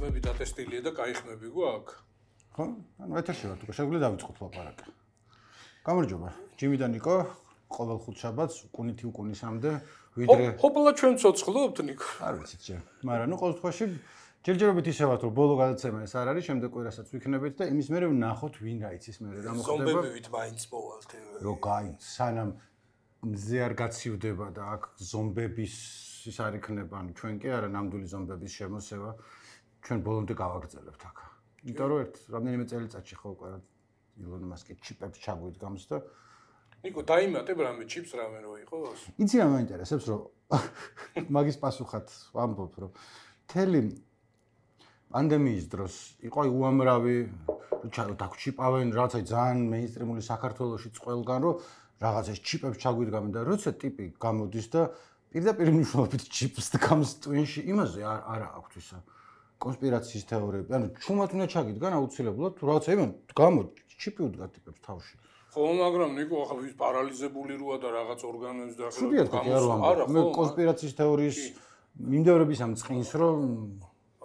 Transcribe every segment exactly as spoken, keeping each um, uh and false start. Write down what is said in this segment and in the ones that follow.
ხმები დატესტილია და კაი ხმები გვაქვს. ხო? ანუ ეთერში ვართ, უკვე შეგვიძლია დავიწყოთ ლაპარაკი. გამარჯობა. ჯიმი და ნიკო, ყოველ ხუთშაბათს უკუნითი უკუნისამდე ვიდრე ჰოპლა ჩვენ ცოცხლობთ ნიკო. არ ვიცით ჯერ. მაგრამ ნუ ყოველ შემთხვევაში ჯერჯერობით ისევათ, რომ ბოლო გადაცემა ეს არ არის, შემდეგ კვირასაც ვიქნებით და იმის მერე ვნახოთ ვინ გაიცის მერე რა მოხდება. ზომბებივით მაინც მოვალთ. რო გაიც, სანამ მზე არ გაცივდება და აქ ზომბების ის არ იქნება, ანუ ჩვენ კი არა ნამდვილი ზომბების შემოსევა, ჩვენ ბოლომდე გავაგრძელებთ აქ. იმიტომ რომ ერთ რამდენიმე წელიწადში ხო უკვე ილონ მასკი ჩიპებს ჩაგვიდგამს და ნიკო დაიმატებ რამე ჩიპს რამე რო იყოს? იცი რა მაინტერესებს, რომ მაგის პასუხად ვამბობ, რომ თელი პანდემიის დროს იყო უამრავი დაგვჩიპავენ რაღაცა ძალიან მეინსტრიმული საქართველოში წყველგან, რომ რაღაცა ჩიპებს ჩაგვიდგამენ და როცა ტიპი გამოდის და პირდაპირ მნიშვნელობით ჩიპს დგამს ტვინში, იმაზე არა აქვთ ისა კონსპირაციის თეორიები. ანუ ჩუმად უნდა ჩაგიდგან აუცილებლად, თუ რაღაცა იმან გამო ჩიპი უდგა ტიპებს თავში. ხო, მაგრამ ნიკო ახლა ვის პარალიზებული როა და რაღაც ორგანოებს და ხუდია თქვი არ ვამბობ. მე კონსპირაციის თეორიის მიმდევრების ამ წყინს რომ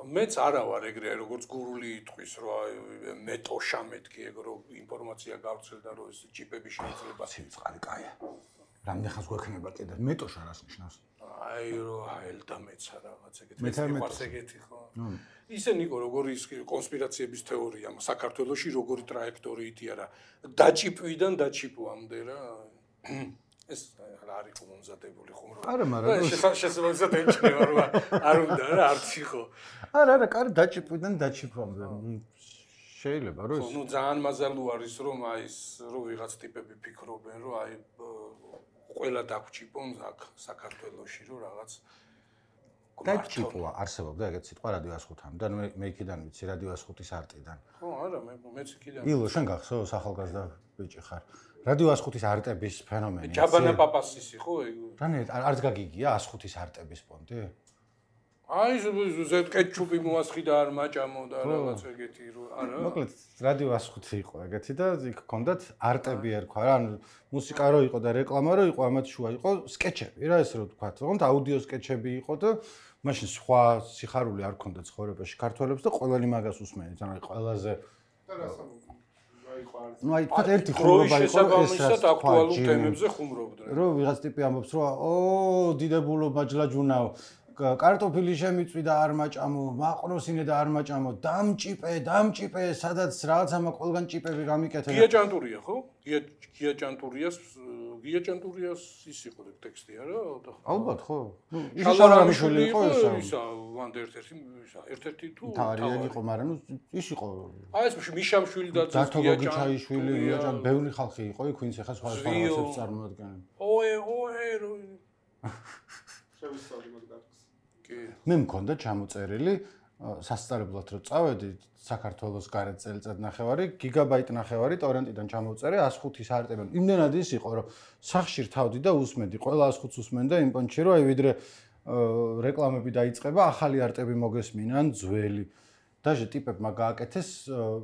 მეც არა ვარ ეგრე როგორც გურული იტყვის რომ აი მეტოშა მეთქი ეგ რომ ინფორმაცია გავცელდა რომ ეს ჩიპები შეიძლება ცივწყალი კაია. რამდენ ხანს გვექნება კიდე მეტოშა რას ნიშნავს? აი რომ აელდა მეცა რაღაც ეგეთი მეც ეგეთი ხო? ისე ნიკო როგორი ის კონსპირაციების თეორია საქართველოში როგორი ტრაექტორიითი არა დაჭიპვიდან დაჩიპვამდე რა ეს რა არის მომზადებული ხუმრობა. არა, მაგრამ შესაძლოა ემჩნევა რომ არ უნდა რა არც იყო. არა, არა, კარი დაჭიპვიდან დაჩიპვამდე. შეიძლება რომ ეს ნუ ძალიან მაზალუ არის რომ აი ეს რომ ვიღაც ტიპები ფიქრობენ რომ აი ყველა დაგვჭიპონ აქ საქართველოში რომ რაღაც დაჭიპვა არსებობდა ეგეთ სიტყვა რადიო ასხუთამდე და მე იქიდან ვიცი რადიო ასხუთის არტიდან. ხო, არა, მე მეც იქიდან. ილო, შენ გახსოვს ახალგაზრდა ბიჭი ხარ. რადიო ასხუთის არტების ფენომენი. ჯაბანა პაპასის იყო ეგ. რანე არც გაგიგია ასხუთის არტების პონტი? აი ზეთ კეჩუპი მოასხი და არ მაჭამო და რაღაც ეგეთი რო არა. მოკლედ რადიო ასხუთი იყო ეგეთი და იქ ჰქონდათ არტები ერქვა რა, ანუ მუსიკა რო იყო და რეკლამა რო იყო, ამათ შუა იყო სკეჩები რა, ესე რო თქვა. თქონდ აუდიო სკეჩები იყო და მაშინ სხვა სიხარული არ ჰქონდა ცხოვრებაში ქართველებს და ყველანი მაგას უსმენით, ანუ ყველაზე ну აი თქვა ერთი ხუმრობა იყო ეს რა აქტუალურ თემებზე ხუმრობდნენ. რო ვიღაც ტიპი ამბობს რომ ო დიდებულო მაჯლაჯუნაო კარტოფილი შემიწვიდა არ მაჭამო, მაყროსინე და არ მაჭამო, დამჭიპე, დამჭიპე, სადაც რაღაცა მაგ ყველგან ჭიპები გამიკეთე. გია ჭანტურია ხო? გია გია ჭანტურიას, გია ჭანტურიას ის იყო ტექსტი არა? ალბათ ხო? ნუ ის შალარამიშვილი იყო ისა. ისა ვანდ ერთ-ერთი ისა, ერთ-ერთი თუ თავი იყო, მაგრამ ნუ ის იყო. აი ეს მიშამშვილი და გია ჭაიშვილი, გია ჭან, ბევრი ხალხი იყო იქ, ვინც ახლა სხვა სხვა რაღაცებს წარმოადგენენ. ოე, ოე, შევისწავლი მაგ მე მქონდა ჩამოწერილი სასწავლებლად რომ წავედი საქართველოს გარეთ წელიწად ნახევარი გიგაბაიტ ნახევარი ტორენტიდან ჩამოვწერე ას ხუთის არტები. იმდენად ის იყო რომ სახში რთავდი და უსმენდი ყველა ას ხუთს უსმენდა იმ პონჩი რომ აი ვიდრე რეკლამები დაიწყება ახალი არტები მოგესმინან ძველი. დაჟე ტიპებმა გააკეთეს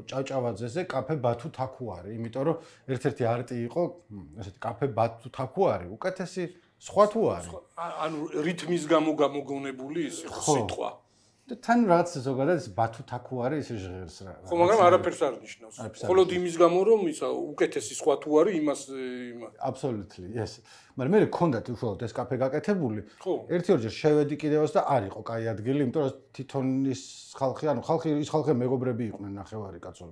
ჭავჭავაძეზე კაფე ბათუ თაქუარი, იმიტომ რომ ერთ-ერთი არტი იყო ესეთი კაფე ბათუ თაქუარი, უკეთესი სხვა თუ არის? ანუ რითმის გამო გამოგონებული ის იყო სიტყვა. და თან რაც ზოგადად ეს ბათუ თაქუარი ისე ჟღერს რა. ხო, მაგრამ არაფერს არ ნიშნავს. მხოლოდ იმის გამო რომ ისა უკეთესი სხვა თუ არის იმას იმას. Absolutely, yes. მაგრამ მე მქონდათ უშუალოდ ეს კაფე გაკეთებული. ერთი ორჯერ შევედი კიდევაც და არ იყო კაი ადგილი, იმიტომ რომ თვითონ ის ხალხი, ანუ ხალხი ის ხალხი მეგობრები იყვნენ ნახევარი კაცო.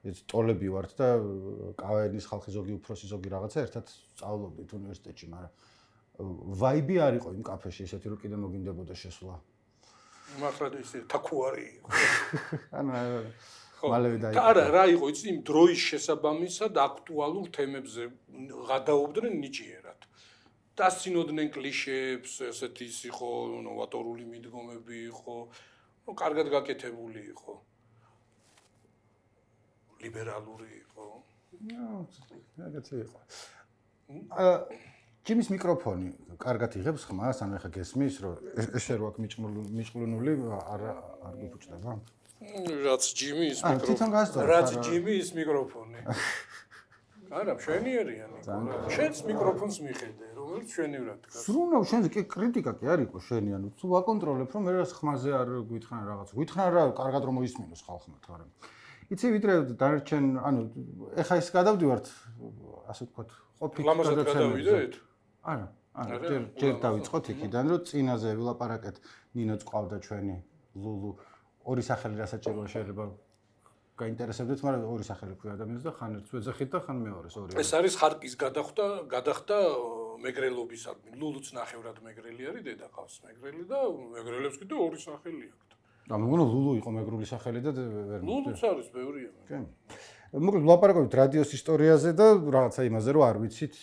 ეს ტოლები ვართ და კავენის ხალხი ზოგი უფროსი ზოგი რაღაცა ერთად სწავლობდით უნივერსიტეტში, მაგრამ ვაიბი არ იყო იმ კაფეში ესეთი რომ კიდე მოგინდებოდა შესვლა. მართლა ისე თაქუარი იყო. ანუ მალევე დაიწყო. არა, რა იყო იცი იმ დროის შესაბამისად აქტუალურ თემებზე გადაობდნენ ნიჭიერად. დასცინოდნენ კლიშეებს, ესეთი ის იყო, ნოვატორული მიდგომები იყო, ნუ კარგად გაკეთებული იყო. ლიბერალური იყო. ნუ, რაღაცა იყო. აა ჯიმის მიკროფონი კარგად იღებს ხმას, ანუ ეხა გესმის, რომ ესე რო აქ მიჭმულნული არ არ გიფუჭდება? რაც ჯიმის მიკროფონი. რაც ჯიმის მიკროფონი. არა, მშვენიერიანი იყო რა. შენს მიკროფონს მიხედე, რომელიც მშვენივრად დგას. სრულნა შენზე კი კრიტიკა კი არ იყო შენი, ანუ თუ ვაკონტროლებ, რომ მე რა ხმაზე არ გვითხრან რაღაც. გვითხრან რა, კარგად რომ მოისმინოს ხალხმა თორემ. იცი ვიდრე დარჩენ, ანუ ეხა ის გადავდივართ, ასე ვთქვათ, ყოფილი გადაცემით. არა, არა, ჯერ ჯერ დავიწყოთ იქიდან, რომ წინაზე ვილაპარაკეთ, ნინოც ყავდა ჩვენი ლულუ, ორი სახელი რასაჭიროა შეიძლება გაინტერესებდეთ, მაგრამ ორი სახელი ქვია ადამიანს და ხან ერთს ვეძახით და ხან მეორეს ორი. ეს არის ხარკის გადახდა, გადახდა მეგრელობისადმი. ლულუც ნახევრად მეგრელი არის, დედა ყავს მეგრელი და მეგრელებს კიდე ორი სახელი აქვს. და მეგონა ლულუ იყო მეგრული სახელი და ვერ მოვიდა. ლულუც არის ბევრია. კი. მოკლედ ვლაპარაკობთ რადიოს ისტორიაზე და რაღაცა იმაზე, რომ არ ვიცით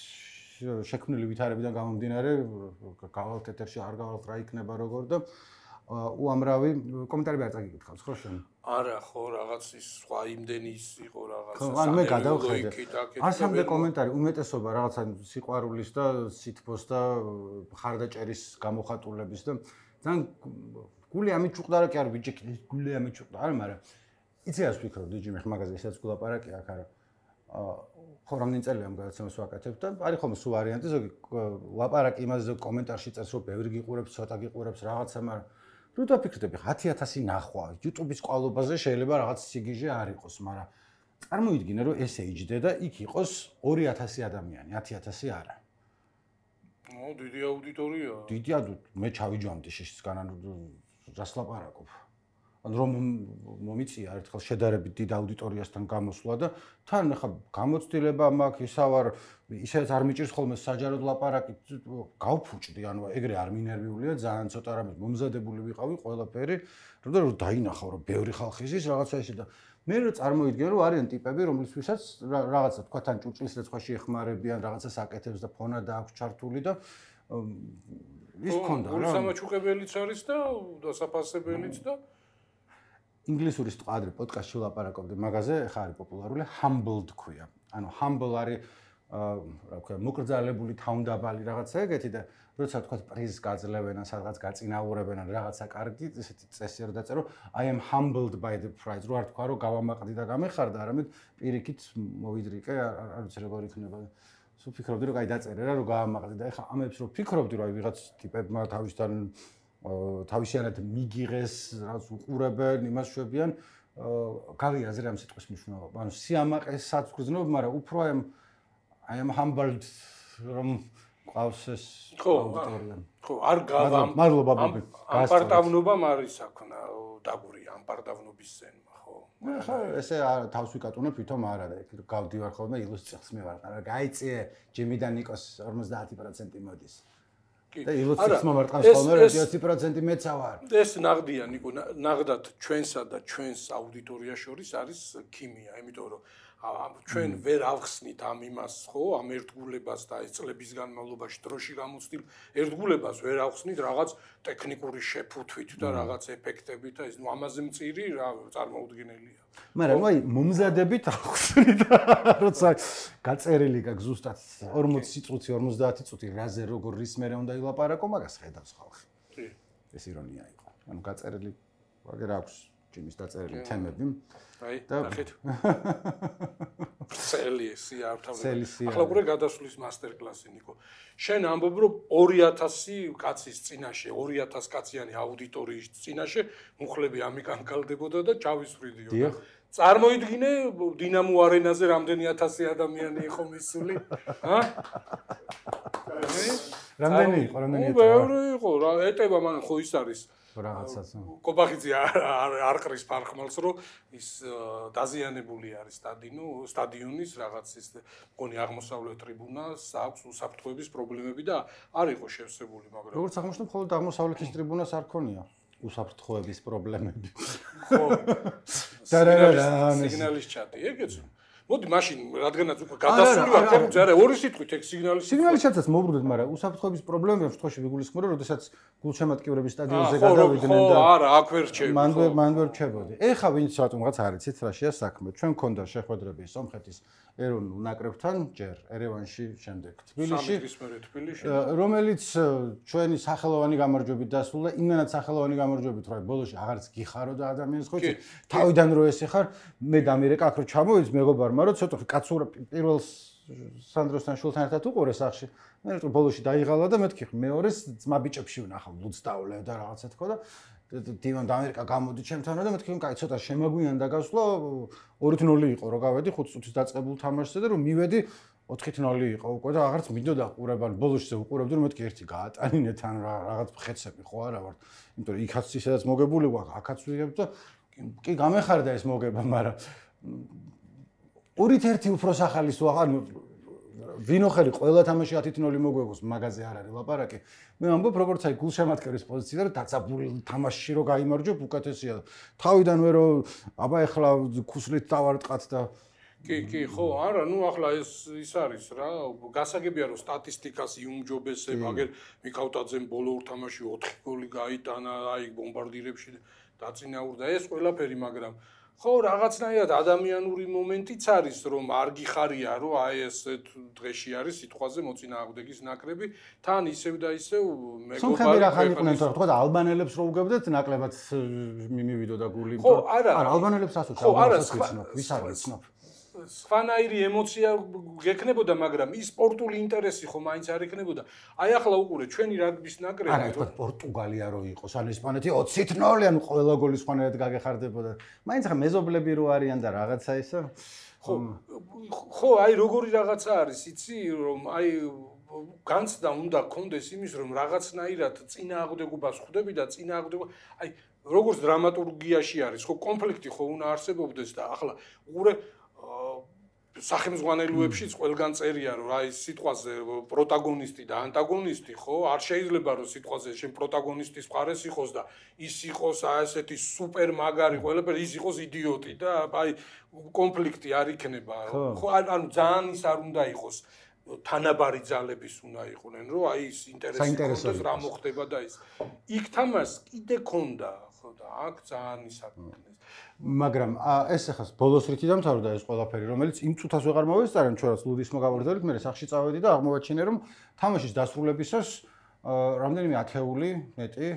შექმნილი ვითარებიდან გამომდინარე, გავალთ ეთერში არ გავალთ რა იქნება როგორ და უამრავი კომენტარები არ წაგიკითხავს, ხო შენ? არა, ხო, რაღაც ის სხვა იმდენი ის იყო რაღაც. ან მე გადავხედე. ასამდე კომენტარი უმეტესობა რაღაცა სიყვარულის და სითბოს და ხარდაჭერის გამოხატულების და ძალიან გული ამიჭუყდა რა კი არ ბიჭი, გული ამიჭუყდა, არა, მაგრამ იცი რას ვფიქრობ, დიჯი მე მაგაზე ესაც გულაპარაკი აქ არა. ხო რამდენი წელია ამ გადაცემას ვაკეთებ და არის ხოლმე სულ ვარიანტი ზოგი ლაპარაკი იმაზე კომენტარში წერს რომ ბევრი გიყურებს, ცოტა გიყურებს რაღაცა, მაგრამ რო დაფიქრდები ათი ათასი ნახვა YouTube-ის ყვალობაზე შეიძლება რაღაც სიგიჟე არ იყოს, მაგრამ წარმოიდგინე რომ ესე იჯდე და იქ იყოს ორი ათასი ადამიანი, ათი ათასი არა. ო, დიდი აუდიტორია. დიდი აუდიტორია, მე ჩავიჯამდი შეშისგან, ანუ რას ლაპარაკობ. ან რომ მომიწია ერთხელ შედარებით დიდ აუდიტორიასთან გამოსვლა და თან ახლა გამოცდილება მაქვს ისავარ ისეც არ მიჭირს ხოლმე საჯაროდ ლაპარაკი გავფუჭდი ანუ ეგრე არ მინერვიულია ძალიან ცოტა რამე მომზადებული ვიყავი ყველაფერი რომ დაინახავ რომ ბევრი ხალხი ის რაღაცა ისე და მე რო წარმოიდგენ რომ არიან ტიპები რომლისთვისაც რაღაცა თქვა თან ჭურჭლის რეცხვაში ეხმარებიან რაღაცას აკეთებს და ფონა და აქვს ჩართული და ის ქონდა რა სამაჩუყებელიც არის და დასაფასებელიც და ინგლისური სტყადრი პოდკასტში ვლაპარაკობდი მაგაზე, ხა არის პოპულარული humbled ქვია. ანუ humble არის რა ქვია, მოკრძალებული, თავმდაბალი რაღაცა ეგეთი და როცა თქვა პრიზს გაძლევენ, სადღაც გაწინაურებენ ან რაღაცა კარგი, ესეთი წესი არ დაწერო, I am humbled by the prize. რო არ თქვა რომ გავამაყდი და გამეხარდა, არამედ პირიქით მოვიდრიკე, არ ვიცი როგორ იქნება. სულ ფიქრობდი რომ კაი დაწერე რა, რომ გავამაყდი და ეხა ამებს რო ფიქრობდი რომ აი ვიღაც ტიპებმა თავისთან თავისიანად მიგიღეს, რაც უყურებენ, იმას შვებიან, გავიაზრე ამ სიტყვის მნიშვნელობა. ანუ სიამაყესაც გრძნობ, მაგრამ უფრო აი I am humbled რომ ყავს ეს აუდიტორია. ხო, არ გავამ. მადლობა ბაბი. ამპარტავნობამ არის აქნა დაგურია ამპარტავნობის ზენმა, ხო? ხო, ესე თავს ვიკატუნებ, თვითონ არა და იქ გავდივარ ხოლმე ილუსტრაციას მე ვარ. არა, გაიწიე ჯიმი და ნიკოს ორმოცდაათი პროცენტი მოდის. და ილუსტრაციას მომარტყავს ხოლმე ოცი პროცენტი მეცა ვარ. ეს ნაღდია ნიკო, ნაღდათ ჩვენსა და ჩვენს აუდიტორიას შორის არის ქიმია, იმიტომ რომ ჩვენ ვერ ავხსნით ამ იმას, ხო, ამ ერთგულებას და ეს წლების განმავლობაში დროში გამოცდილ ერთგულებას ვერ ავხსნით რაღაც ტექნიკური შეფუთვით და რაღაც ეფექტებით და ეს ნუ ამაზე მწირი რა წარმოუდგენელია. მაგრამ აი მომზადებით ავხსნით როცა გაწერილი გაქვს ზუსტად ორმოცი წუთი ორმოცდაათი წუთი რაზე როგორ რის მერე უნდა ილაპარაკო მაგას ხედავს ხალხი. კი. ეს ირონია იყო. ანუ გაწერილი ვაგერ აქვს ჯიმის დაწერილი თემები. აი, ნახეთ. წელი სიართავე. ახლა გურე გადასვლის მასტერ-კლასი ნიკო. შენ ამბობ რომ ორი ათასი კაცის წინაშე, ორი ათასი კაციანი აუდიტორიის წინაშე მუხლები ამიკანკალდებოდა და ჩავისვრიდიო. დიახ. წარმოიდგინე დინამო არენაზე რამდენი ათასი ადამიანი იყო მისული? ჰა? რამდენი იყო, რამდენი იყო? ბევრი იყო, რა ეტება მან ხო ის არის. რაღაცას. კობახიძე არ ყრის ფარხმალს, რომ ის დაზიანებული არის სტადიონო, სტადიონის რაღაც ის მგონი აღმოსავლეთ ტრიბუნას აქვს უსაფრთხოების პრობლემები და არ იყო შევსებული, მაგრამ როგორც აღმოჩნდა, მხოლოდ აღმოსავლეთის ტრიბუნას არ ქონია უსაფრთხოების პრობლემები. ხო. სიგნალის ჩატი, ეგეც. მოდი მაშინ რადგანაც უკვე გადასული ვარ, თემზე არა, ორი სიტყვით ეგ სიგნალის სიგნალის ჩატაც მოვბრუნდეთ, მაგრამ უსაფრთხოების პრობლემები შემთხვევაში ვიგულისხმობ, რომ შესაძ გულშემატკივრების სტადიონზე გადავიდნენ და ხო, არა, აქ ვერ რჩები. მან ვერ მან ვერ რჩებოდი. ეხა ვინც რატომღაც არ იცით რა შეა საქმე. ჩვენ მქონდა შეხვედრები სომხეთის ეროვნულ ნაკრებთან, ჯერ ერევანში, შემდეგ თბილისში. რომელიც ჩვენი სახელოვანი გამარჯვებით დასრულდა, იმენად სახელოვანი გამარჯვებით, რომ ბოლოში აღარც გიხარო და ადამიანს ხო იცი, თავიდან რო ესე ხარ, მე დამირეკა აქ რო ჩამოვიდს მეგობარმა, რომ ცოტა კაცურა პირველს სანდროსთან შულთან ერთად უყურე სახში. მე რატო ბოლოში დაიღალა და მეთქი მეორეს ძმა ბიჭებში ვნახავ ლუცდავლე და რაღაცა თქო და დივან და ამერიკა გამოდი ჩემთან და მეთქი კაი ცოტა შემაგვიან და გასვლა ორი ნული იყო რო გავედი ხუთ წუთის დაწყებულ თამაშზე და რომ მივედი ოთხი ნული იყო უკვე და აღარც მინდოდა ყურებან ბოლოში უყურებდი რომ მეთქი ერთი გაატანინე თან რაღაც ხეცები ხო არა ვარ იმიტომ რომ იქაც ისედაც მოგებული ვარ აქაც ვიღებ და კი გამეხარდა ეს მოგება მაგრამ ორით ერთი უფრო სახალის ვაღარ ვინოხერი ყველა თამაში ათი ნული მოგვეგოს მაგაზე არ არის ლაპარაკი მე ამბობ როგორც აი გულშემატკივრის პოზიციაზე რომ დაწაბული თამაშში რო გაიმარჯვებ უკეთესია თავიდან ვერ აბა ეხლა ქუსლით დავარტყათ და კი კი ხო არა ნუ ახლა ეს ის არის რა გასაგებია რომ სტატისტიკას იუმჯობესებ აგერ მიკავტაძემ ბოლო ორ თამაში ოთხი გოლი გაიტანა აი ბომბარდირებში დაწინაურდა ეს ყველაფერი მაგრამ ხო რაღაცნაირად ადამიანური მომენტიც არის რომ არ გიხარია რომ აი ეს დღეში არის სიტყვაზე მოწინააღმდეგის ნაკრები თან ისევ და ისევ მეგობარი სომხები რა ხან იყვნენ თორე თქვა ალბანელებს რო უგებდეთ ნაკლებად მივიდო და გული ხო არა არა ალბანელებს ასოც ალბანელებს ვიცნობ ვის არ ვიცნობ სხვანაირი ემოცია გექნებოდა მაგრამ ის სპორტული ინტერესი ხო მაინც არ ექნებოდა აი ახლა უყურე ჩვენი რაგბის ნაკრები არა თქვა პორტუგალია რო იყოს ან ესპანეთი ოცი ნული ან ყველა გოლი სხვანაირად გაგეხარდებოდა მაინც ხა მეზობლები რო არიან და რაღაცა ისო ხო ხო აი როგორი რაღაცა არის იცი რომ აი განცდა უნდა გქონდეს იმის რომ რაღაცნაირად წინააღმდეგობას ხვდები და წინააღმდეგობა აი როგორც დრამატურგიაში არის ხო კონფლიქტი ხო უნდა არსებობდეს და ახლა უყურე სახელმძღვანელოებშიც ყველგან წერია რომ აი სიტყვაზე პროტაგონისტი და ანტაგონისტი ხო არ შეიძლება რომ სიტყვაზე შენ პროტაგონისტის მხარეს იყოს და ის იყოს აი ესეთი სუპერ მაგარი ყველაფერი ის იყოს იდიოტი და აი კონფლიქტი არ იქნება ხო ანუ ძალიან ის არ უნდა იყოს თანაბარი ძალების უნდა იყვნენ რომ აი ის ინტერესი კონდეს რა მოხდება და ის იქ თამას კიდე ქონდა ხო და აქ ძალიან ის არ მოხდეს მაგრამ ეს ახლა ბოლოს რითი დამთავრდა ეს ყველაფერი რომელიც იმ წუთას ვეღარ მოვესწარემ ჩვენს ლუდის მოგავარდებით მე სახში წავედი და აღმოვაჩინე რომ თამაშის დასრულებისას რამდენიმე ათეული მეტი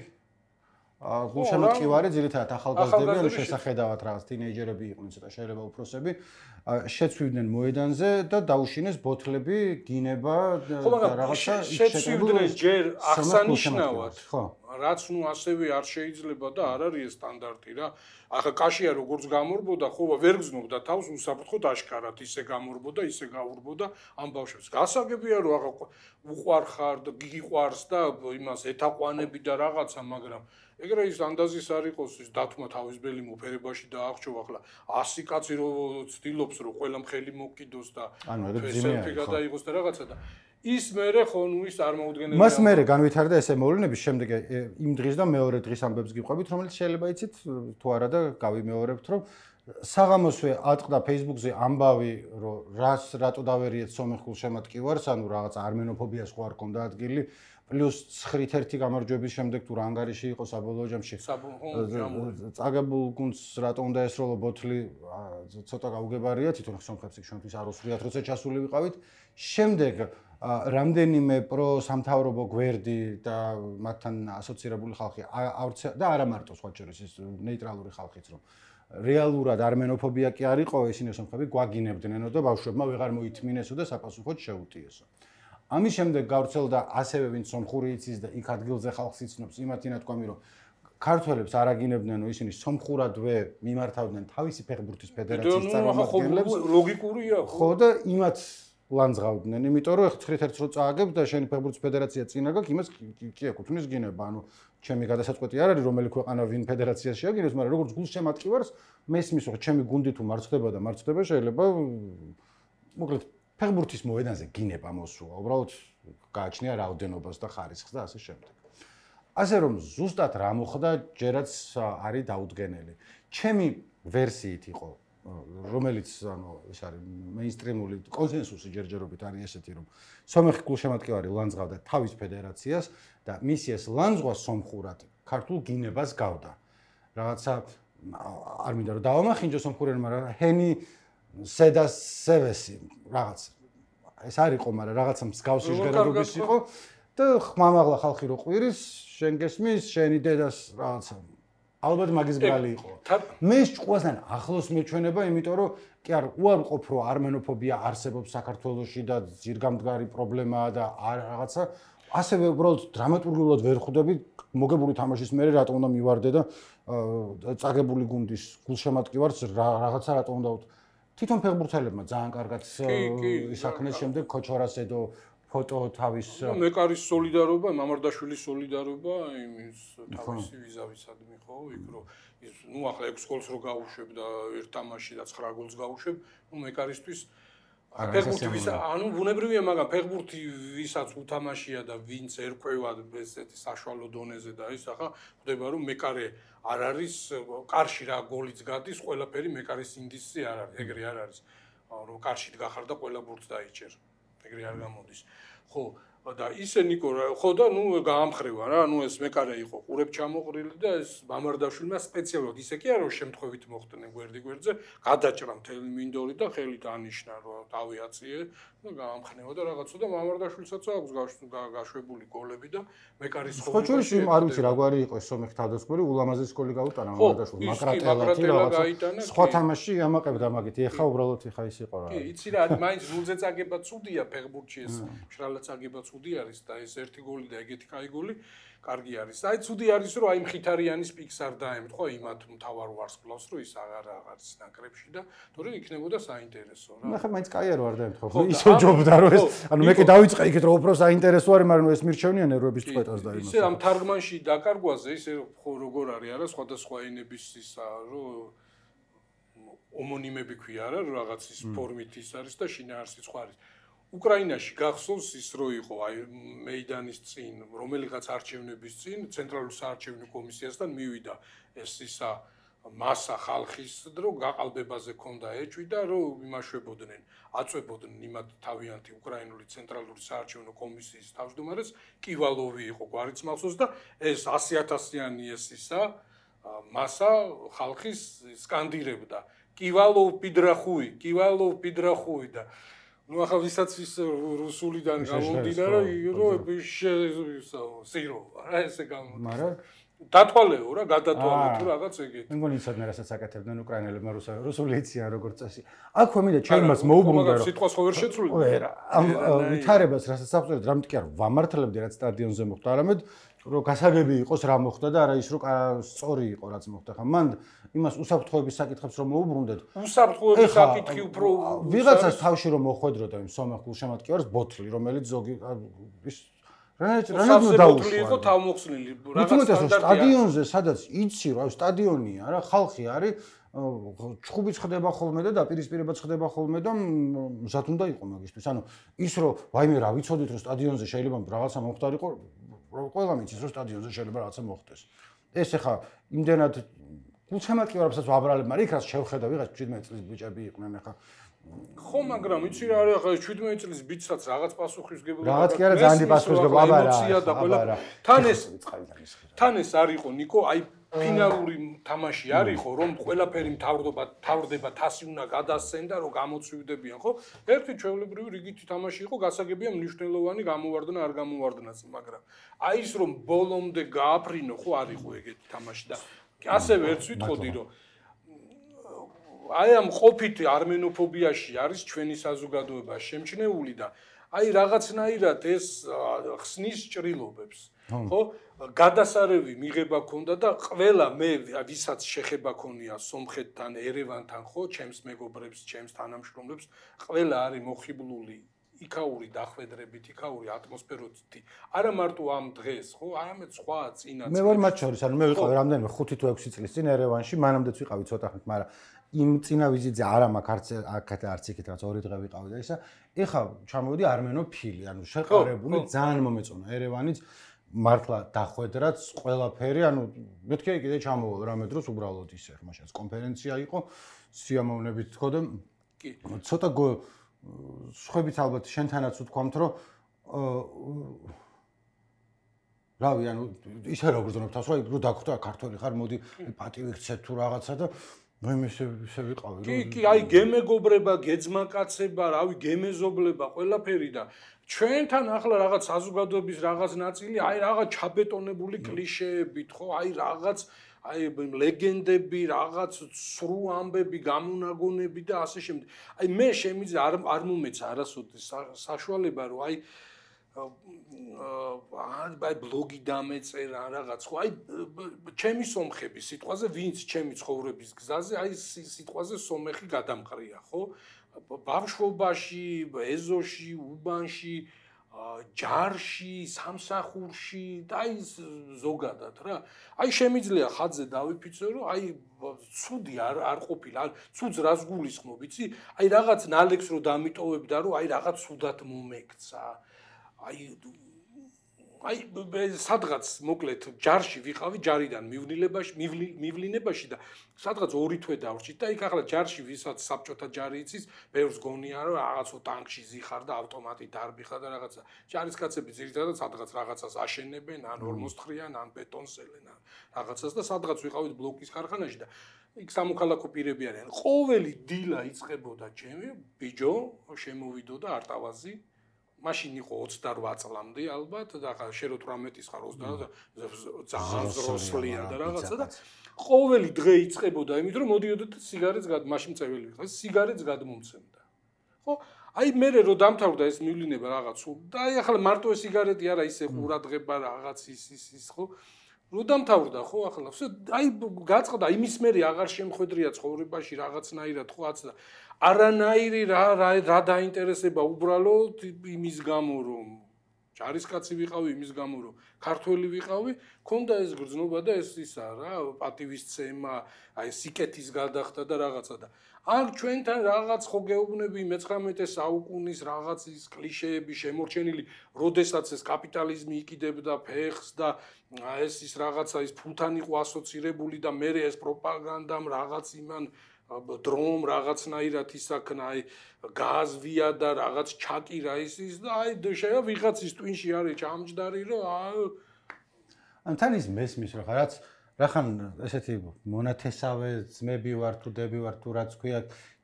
გულშემატკივარი ძირითადად ახალგაზრდები ანუ შესახედავად რაღაც თინეიჯერები იყვნენ ცოტა შეიძლება უფროსები შეცვივდნენ მოედანზე და დაუშინეს ბოთლები გინება და რაღაცა შეცვივდნენ ჯერ აღსანიშნავად ხო რაც ნუ ასევე არ შეიძლება და არ არის ეს სტანდარტი რა ახლა კაშია როგორც გამორბოდა ხო ვერ გზნობდა თავს უსაფრთხოდ აშკარად ისე გამორბოდა ისე გაურბოდა ამ ბავშვებს გასაგებია რომ ახლა უყვარხარ და გიყვარს და იმას ეთაყვანები და რაღაცა მაგრამ ეგრე ის ანდაზის არ იყოს ის დათმა თავისბელი მოფერებაში და აღჭო ახლა ასი კაცი რო ცდილობს რომ ყველა მხელი მოკიდოს და სელფი გადაიღოს და რაღაცა და ის მერე ხო ნუ ის არ მოუდგენელია მას მერე განვითარდა ესე მოვლენები შემდეგ იმ დღის და მეორე დღის ამბებს გიყვებით რომელიც შეიძლება იცით თუ არა და გავიმეორებთ რომ საღამოსვე ატყდა Facebook-ზე ამბავი რომ რას რატო დავერიეთ სომეხ გულშემატკივარს ანუ რაღაც არმენოფობიას ხო არ კონდა ადგილი პლუს ცხრით ერთი გამარჯვების შემდეგ თუ რა ანგარიში იყო საბოლოო ჯამში წაგებულ გუნდს რატო უნდა ესროლო ბოთლი ცოტა გაუგებარია თვითონ სომხებს იქ ჩვენთვის არ უსურიათ როცა ჩასული ვიყავით შემდეგ რამდენიმე პრო სამთავრობო გვერდი და მათთან ასოცირებული ხალხი და არა მარტო სხვა შორის ის ნეიტრალური ხალხიც რომ რეალურად არმენოფობია კი არ იყო ისინი სომხები გვაგინებდნენო და ბავშვებმა ვეღარ მოითმინესო და საფასუხოდ შეუტიესო ამის შემდეგ გავრცელდა ასევე ვინც სომხური იცის და იქ ადგილზე ხალხს იცნობს იმათი ნათქვამი რომ ქართველებს არ აგინებდნენო ისინი სომხურადვე მიმართავდნენ თავისი ფეხბურთის ფედერაციის წარმომადგენლებს ლოგიკურია ხო და იმათ ლანძღავდნენ იმიტომ რომ ცხრით ერთს რო წააგებ და შენი ფეხბურთის ფედერაცია წინა გაქვს იმას კი ეკუთვნის გინება ანუ ჩემი გადასაწყვეტი არ არის რომელი ქვეყანა ვინ ფედერაციას შეაგინებს მაგრამ როგორც გულშემატკივარს მესმის რომ ჩემი გუნდი თუ მარცხდება და მარცხდება შეიძლება მოკლედ ფეხბურთის მოედანზე გინება მოსულა უბრალოდ გააჩნია რაოდენობას და ხარისხს და ასე შემდეგ ასე რომ ზუსტად რა მოხდა ჯერაც არის დაუდგენელი ჩემი ვერსიით იყო რომელიც ანუ ეს არის მეინსტრიმული კონსენსუსი ჯერჯერობით არის ესეთი რომ სომეხი გულშემატკივარი ლანძღავდა თავის ფედერაციას და მისი ეს ლანძღვა სომხურად ქართულ გინებას გავდა რაღაცა არ მინდა რომ დავამახინჯო სომხურენ მაგრამ ჰენი სედას სევესი რაღაც ეს არ იყო მაგრამ რაღაცა მსგავსი ჟღერადობის იყო და ხმამაღლა ხალხი რო ყვირის შენ გესმის შენი დედას რაღაცა ალბათ მაგის ბრალი იყო. მე ჭყვასთან ახლოს მეჩვენება, იმიტომ რომ კი არ უარყოფ რომ არმენოფობია არსებობს საქართველოში და ძირგამდგარი პრობლემაა და რაღაცა ასევე უბრალოდ დრამატურგულად ვერ ხვდები მოგებული თამაშის მერე რატომ უნდა მივარდე და წაგებული გუნდის გულშემატკივარს რაღაცა რატომ უნდა თვითონ ფეხბურთელებმა ძალიან კარგად ისახნეს შემდეგ ქოჩორასედო ფოტო თავის მეკარის სოლიდარობა, მამარდაშვილის სოლიდარობა, იმის თავისი ვიზავისადმი ხო, იქ რომ ის ნუ ახლა ექვს გოლს რო გაუშვებ და ერთ თამაშში და ცხრა გოლს გაუშვებ, ნუ მეკარისთვის ფეხბურთი ვისა, ანუ ბუნებრივია, მაგრამ ფეხბურთი ვისაც უთამაშია და ვინც ერკვევა ესეთი საშუალო დონეზე და ის ახლა ხდება რომ მეკარე არ არის კარში რა გოლიც გადის, ყველაფერი მეკარის ინდისი არ არის, ეგრე არ არის. რომ კარშით გახარ და ყველა ბურთს დაიჭერ. ეგრე არ გამოდის. ხო, და ისე ნიკო ხო და ნუ გაამხრევა რა, ნუ ეს მეკარე იყო ყურებ ჩამოყრილი და ეს მამარდაშვილმა სპეციალურად ისე კი არა რომ შემთხვევით მოხდნენ გვერდი გვერდზე, გადაჭრა მთელი მინდორი და ხელით ანიშნა რომ თავი აწიე და გაამხნევა და რაღაცა და მამარდაშვილსაც აქვს გაშვებული გოლები და მეკარის ხო ჩვენს არ ვიცი რა გვარი იყო ეს სომეხ თავდასხმელი ულამაზეს გოლი გაუტანა მამარდაშვილმა მაკრატელათი რაღაცა სხვა თამაში ამაყებდა მაგით ეხა უბრალოდ ეხა ის იყო რა კი იცი რა მაინც ნულზე წაგება ცუდია ფეხბურთში ეს მშრალად წაგება ცუდი არის და ეს ერთი გოლი და ეგეთი კაი გოლი კარგი არის. აი ცუდი არის რომ აი მხითარიანის პიკს არ დაემთხო იმათ მთავარ ვარსკვლავს რომ ის აღარ არის ნაკრებში და თორე იქნებოდა საინტერესო რა. ნახე მაინც კაი არ ვარ დაემთხო. ისე ჯობდა რომ ეს ანუ მე კი დავიწყე იქით რომ უფრო საინტერესო არის, მაგრამ ეს მირჩევნიან ერვების წყვეტას და იმას. ისე ამ თარგმანში დაკარგვაზე ისე ხო როგორ არის არა სხვადასხვა ენების ისა რომ ომონიმები ქვია რა რაღაც ის ფორმით ის არის და შინაარსიც ხო არის. უკრაინაში გახსოვს ის რო იყო აი მეიდანის წინ რომელიღაც არჩევნების წინ ცენტრალურ საარჩევნო კომისიასთან მივიდა ეს ისა მასა ხალხის რომ გაყალბებაზე ქონდა ეჭვი და რომ იმაშვებოდნენ აწვებოდნენ იმათ თავიანთი უკრაინული ცენტრალური საარჩევნო კომისიის თავმჯდომარეს კივალოვი იყო გვარიც მახსოვს და ეს ასი ათასიანი ეს ისა მასა ხალხის სკანდირებდა კივალოვ პიდრახუი კივალოვ პიდრახუი და ну ახლა ვისაც ის რუსულიდან გამომდინარე რომ სირო რა ესე გამოდის მაგრამ დათვალეო რა გადათვალე თუ რაღაც ეგეთი მე მგონი იცოდნენ რასაც აკეთებდნენ უკრაინელებმა რუსული იციან როგორც წესი აქვე მინდა ჩვენ მას მოუბრუნდა რომ სიტყვას ხო ვერ შეცვლი ვერა ამ ვითარებას რასაც საფუძვლად რამე კი არ ვამართლებდი რაც სტადიონზე მოხდა არამედ რომ გასაგები იყოს რა მოხდა და არა ის რომ სწორი იყო რაც მოხდა ხა მან იმას უსაფრთხოების საკითხებს რომ მოუბრუნდეთ უსაფრთხოების საკითხი უფრო ვიღაცას თავში რომ მოხვედროდა იმ სომეხ გულშემატკივარს ბოთლი რომელიც ზოგი ის რანაც დაუშვა იყო თავმოხსნილი რაღაც სტადიონზე სადაც იცი რა სტადიონია რა ხალხი არის ჩხუბიც ხდება ხოლმე და დაპირისპირებაც ხდება ხოლმე და მზად უნდა იყო მაგისთვის ანუ ის რომ ვაიმე რა ვიცოდით რომ სტადიონზე შეიძლება რაღაცა მომხდარიყო ყველა მიცის რომ სტადიონზე შეიძლება რაღაცა მოხდეს ეს ახლა იმდენად გულშემატკივარებსაც ვაბრალებ მაგრამ იქ რაც შევხედა ვიღაც შვიდმეტი წლის ბიჭები იყვნენ ახლა ხო მაგრამ იცი რა არის ახლა შვიდმეტი წლის ბიჭსაც რაღაც პასუხისმგებლობა რაღაც კი არა ძალიან პასუხისმგებლობა აბარა და ყველა თან ეს თან ეს არ იყო ნიკო აი ფინალური თამაში არ იყო რომ ყველაფერი მთავრდება თავრდება თასი უნდა გადასცენ და რომ გამოცვივდებიან ხო ერთი ჩვეულებრივი რიგითი თამაში იყო გასაგებია მნიშვნელოვანი გამოვარდნა არ გამოვარდნაც მაგრამ აი ის რომ ბოლომდე გააფრინო ხო არ იყო ეგეთი თამაში და ასევე ერთს ვიტყოდი რომ აი ამ ყოფით არმენოფობიაში არის ჩვენი საზოგადოება შემჩნეული და აი რაღაცნაირად ეს ხსნის ჭრილობებს ხო გადასარევი მიღება ქონდა და ყველა მე ვისაც შეხება ქონია სომხეთთან ერევანთან ხო ჩემს მეგობრებს ჩემს თანამშრომლებს ყველა არის მოხიბლული იქაური დახვედრებით იქაური ატმოსფეროთი არა მარტო ამ დღეს ხო არამედ სხვა წინა მე ვარ მათ შორის ანუ მე ვიყავი რამდენიმე ხუთი თუ ექვსი წლის წინ ერევანში მანამდეც ვიყავი ცოტა ხნით მაგრამ იმ წინა ვიზიტზე არა მაქვს აქეთ არც იქით რაც ორი დღე ვიყავი და ისა ეხა ჩამოვიდი არმენოფილი ანუ შეყარებული ძალიან მომეწონა ერევანიც მართლა დახვედრაც ყველაფერი ანუ მეთქე კიდე ჩამოვალ რამე დროს უბრალოდ ისე ხმაშაც კონფერენცია იყო სიამოვნებით თქო და კი ცოტა სხვებით ალბათ შენთანაც ვთქვამთ რომ რავი ანუ ისე რა გრძნობ თავს რომ რო დაგხვდა ქართველი ხარ მოდი პატივი ხცეთ თუ რაღაცა და მე ისე ისე ვიყავი რომ კი კი აი გემეგობრება გეძმაკაცება რავი გემეზობლება ყველაფერი და ჩვენთან ახლა რაღაც საზოგადოების რაღაც ნაწილი აი რაღაც ჩაბეტონებული კლიშეებით ხო აი რაღაც აი ლეგენდები, რაღაც სრულ ამბები, გამონაგონები და ასე შემდეგ. აი მე შემიძლია არ არ მომეცა არასოდეს საშუალება რომ აი აი ბლოგი დამეწერა რაღაც ხო აი ჩემი სომხები სიტყვაზე ვინც ჩემი ცხოვრების გზაზე აი სიტყვაზე სომეხი გადამყრია ხო ბავშვობაში ეზოში უბანში ჯარში სამსახურში და აი ზოგადად რა აი შემიძლია ხაზზე დავიფიცო რომ აი ცუდი არ არ ყოფილა ცუდს რას გულისხმობ იცი აი რაღაც ნალექს რო დამიტოვებდა რომ აი რაღაც ცუდად მომექცა აი აი სადღაც მოკლედ ჯარში ვიყავი ჯარიდან მივნილებაში მივლინებაში და სადღაც ორი თვე დავრჩით და იქ ახლა ჯარში ვისაც საბჭოთა ჯარი იცის ბევრს გონია რომ რაღაცო ტანკში ზიხარ და ავტომატი დარბიხა და რაღაცა ჯარისკაცები ძირითადად სადღაც რაღაცას აშენებენ ან ორმოსთხრიან ან ბეტონს ელენ რაღაცას და სადღაც ვიყავით ბლოკის ქარხანაში და იქ სამოქალაქო პირები არიან ყოველი დილა იწყებოდა ჩემი ბიჯო შემოვიდო და არტავაზი მაშინ იყო ოცდარვა წლამდე ალბათ და ხა შე რო თვრამეტის ხარ ოცდაოთხ ძალიან ზროსლია და რაღაცა და ყოველი დღე იწყებოდა იმით რომ მოდიოდეთ სიგარეტს გად მაშინ წეველი ვიყავ სიგარეტს გადმომცემდა ხო აი მე რო დამთავრდა ეს მივლინება რაღაც და აი ახლა მარტო ეს სიგარეტი არა ისე ყურადღება რაღაც ის ის ის ხო რო დამთავრდა ხო ახლა აი გაწყდა იმის მერე აღარ შემხედრია ცხოვრებაში რაღაცნაირად ხო აცდა არანაირი რა რა დაინტერესება უბრალოდ იმის გამო რომ ჯარისკაცი ვიყავი იმის გამო რომ ქართველი ვიყავი ქონდა ეს გრძნობა და ეს ისა რა პატივისცემა აი სიკეთის გადახდა და რაღაცა და აქ ჩვენთან რაღაც ხო გეუბნები მეცხრამეტე საუკუნის რაღაც ის კლიშეები შემორჩენილი როდესაც ეს კაპიტალიზმი იკიდებდა ფეხს და ეს ის რაღაცა ის ფულთან იყო ასოცირებული და მე ეს პროპაგანდამ რაღაც იმან დრომ რაღაცნაირად ისაქნა აი გაზვია და რაღაც ჩაკირა ის ის და აი შეა ვიღაცის ტვინში არის ჩამჯდარი რომ ან თან ის მესმის რა რაც რახან ესეთი მონათესავე ძმები ვარ თუ დები ვარ თუ რაც ქვია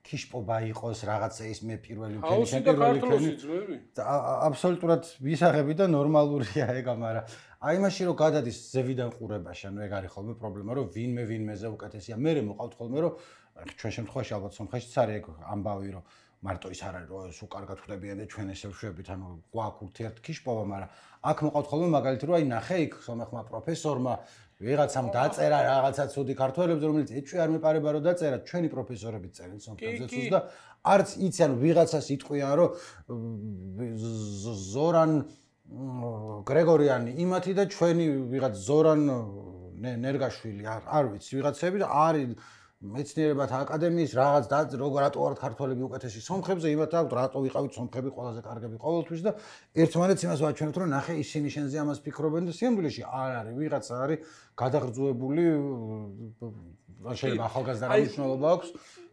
ქიშპობა იყოს რაღაცა ის მე პირველი მქენი შენ პირველი მქენი აბსოლუტურად ვისაღები და ნორმალურია ეგა მაგრამ აი მაშინ რომ გადადის ზევიდან ყურებაში ანუ ეგ არის ხოლმე პრობლემა რომ ვინმე ვინმეზე უკეთესია მე მოყავთ ხოლმე რომ ჩვენ შემთხვევაში ალბათ სომხეთშიც არის ეგ ამბავი რომ მარტო ის არ არის რომ სულ კარგად ხვდებიან და ჩვენ ესე ვშვებით ანუ გვაქვს ურთიერთქიშპობა მაგრამ აქ მოყავთ ხოლმე მაგალითად რომ აი ნახე იქ სომეხმა პროფესორმა ვიღაცამ დაწერა რაღაცა ცუდი ქართველებს რომელიც ეჭვი არ მეპარება რომ დაწერა ჩვენი პროფესორები წერენ სომხეთზე ცუდს და არც იცი ანუ ვიღაცას იტყვიან რომ ზორან გრეგორიანი იმათი და ჩვენი ვიღაც ზორან ნერგაშვილი არ არ ვიცი ვიღაცები და არის მეცნიერებათა აკადემიის რაღაც და როგორ რატო ვართ ქართველები უკეთესი სომხებზე იმათ აქვს რატო ვიყავით სომხები ყველაზე კარგები ყოველთვის და ერთმანეთს იმას ვაჩვენებთ რომ ნახე ისინი შენზე ამას ფიქრობენ და სიამბულეში არ არის ვიღაცა არის გადაღრძუებული შეიძლება ახალგაზრდა რა მნიშვნელობა აქვს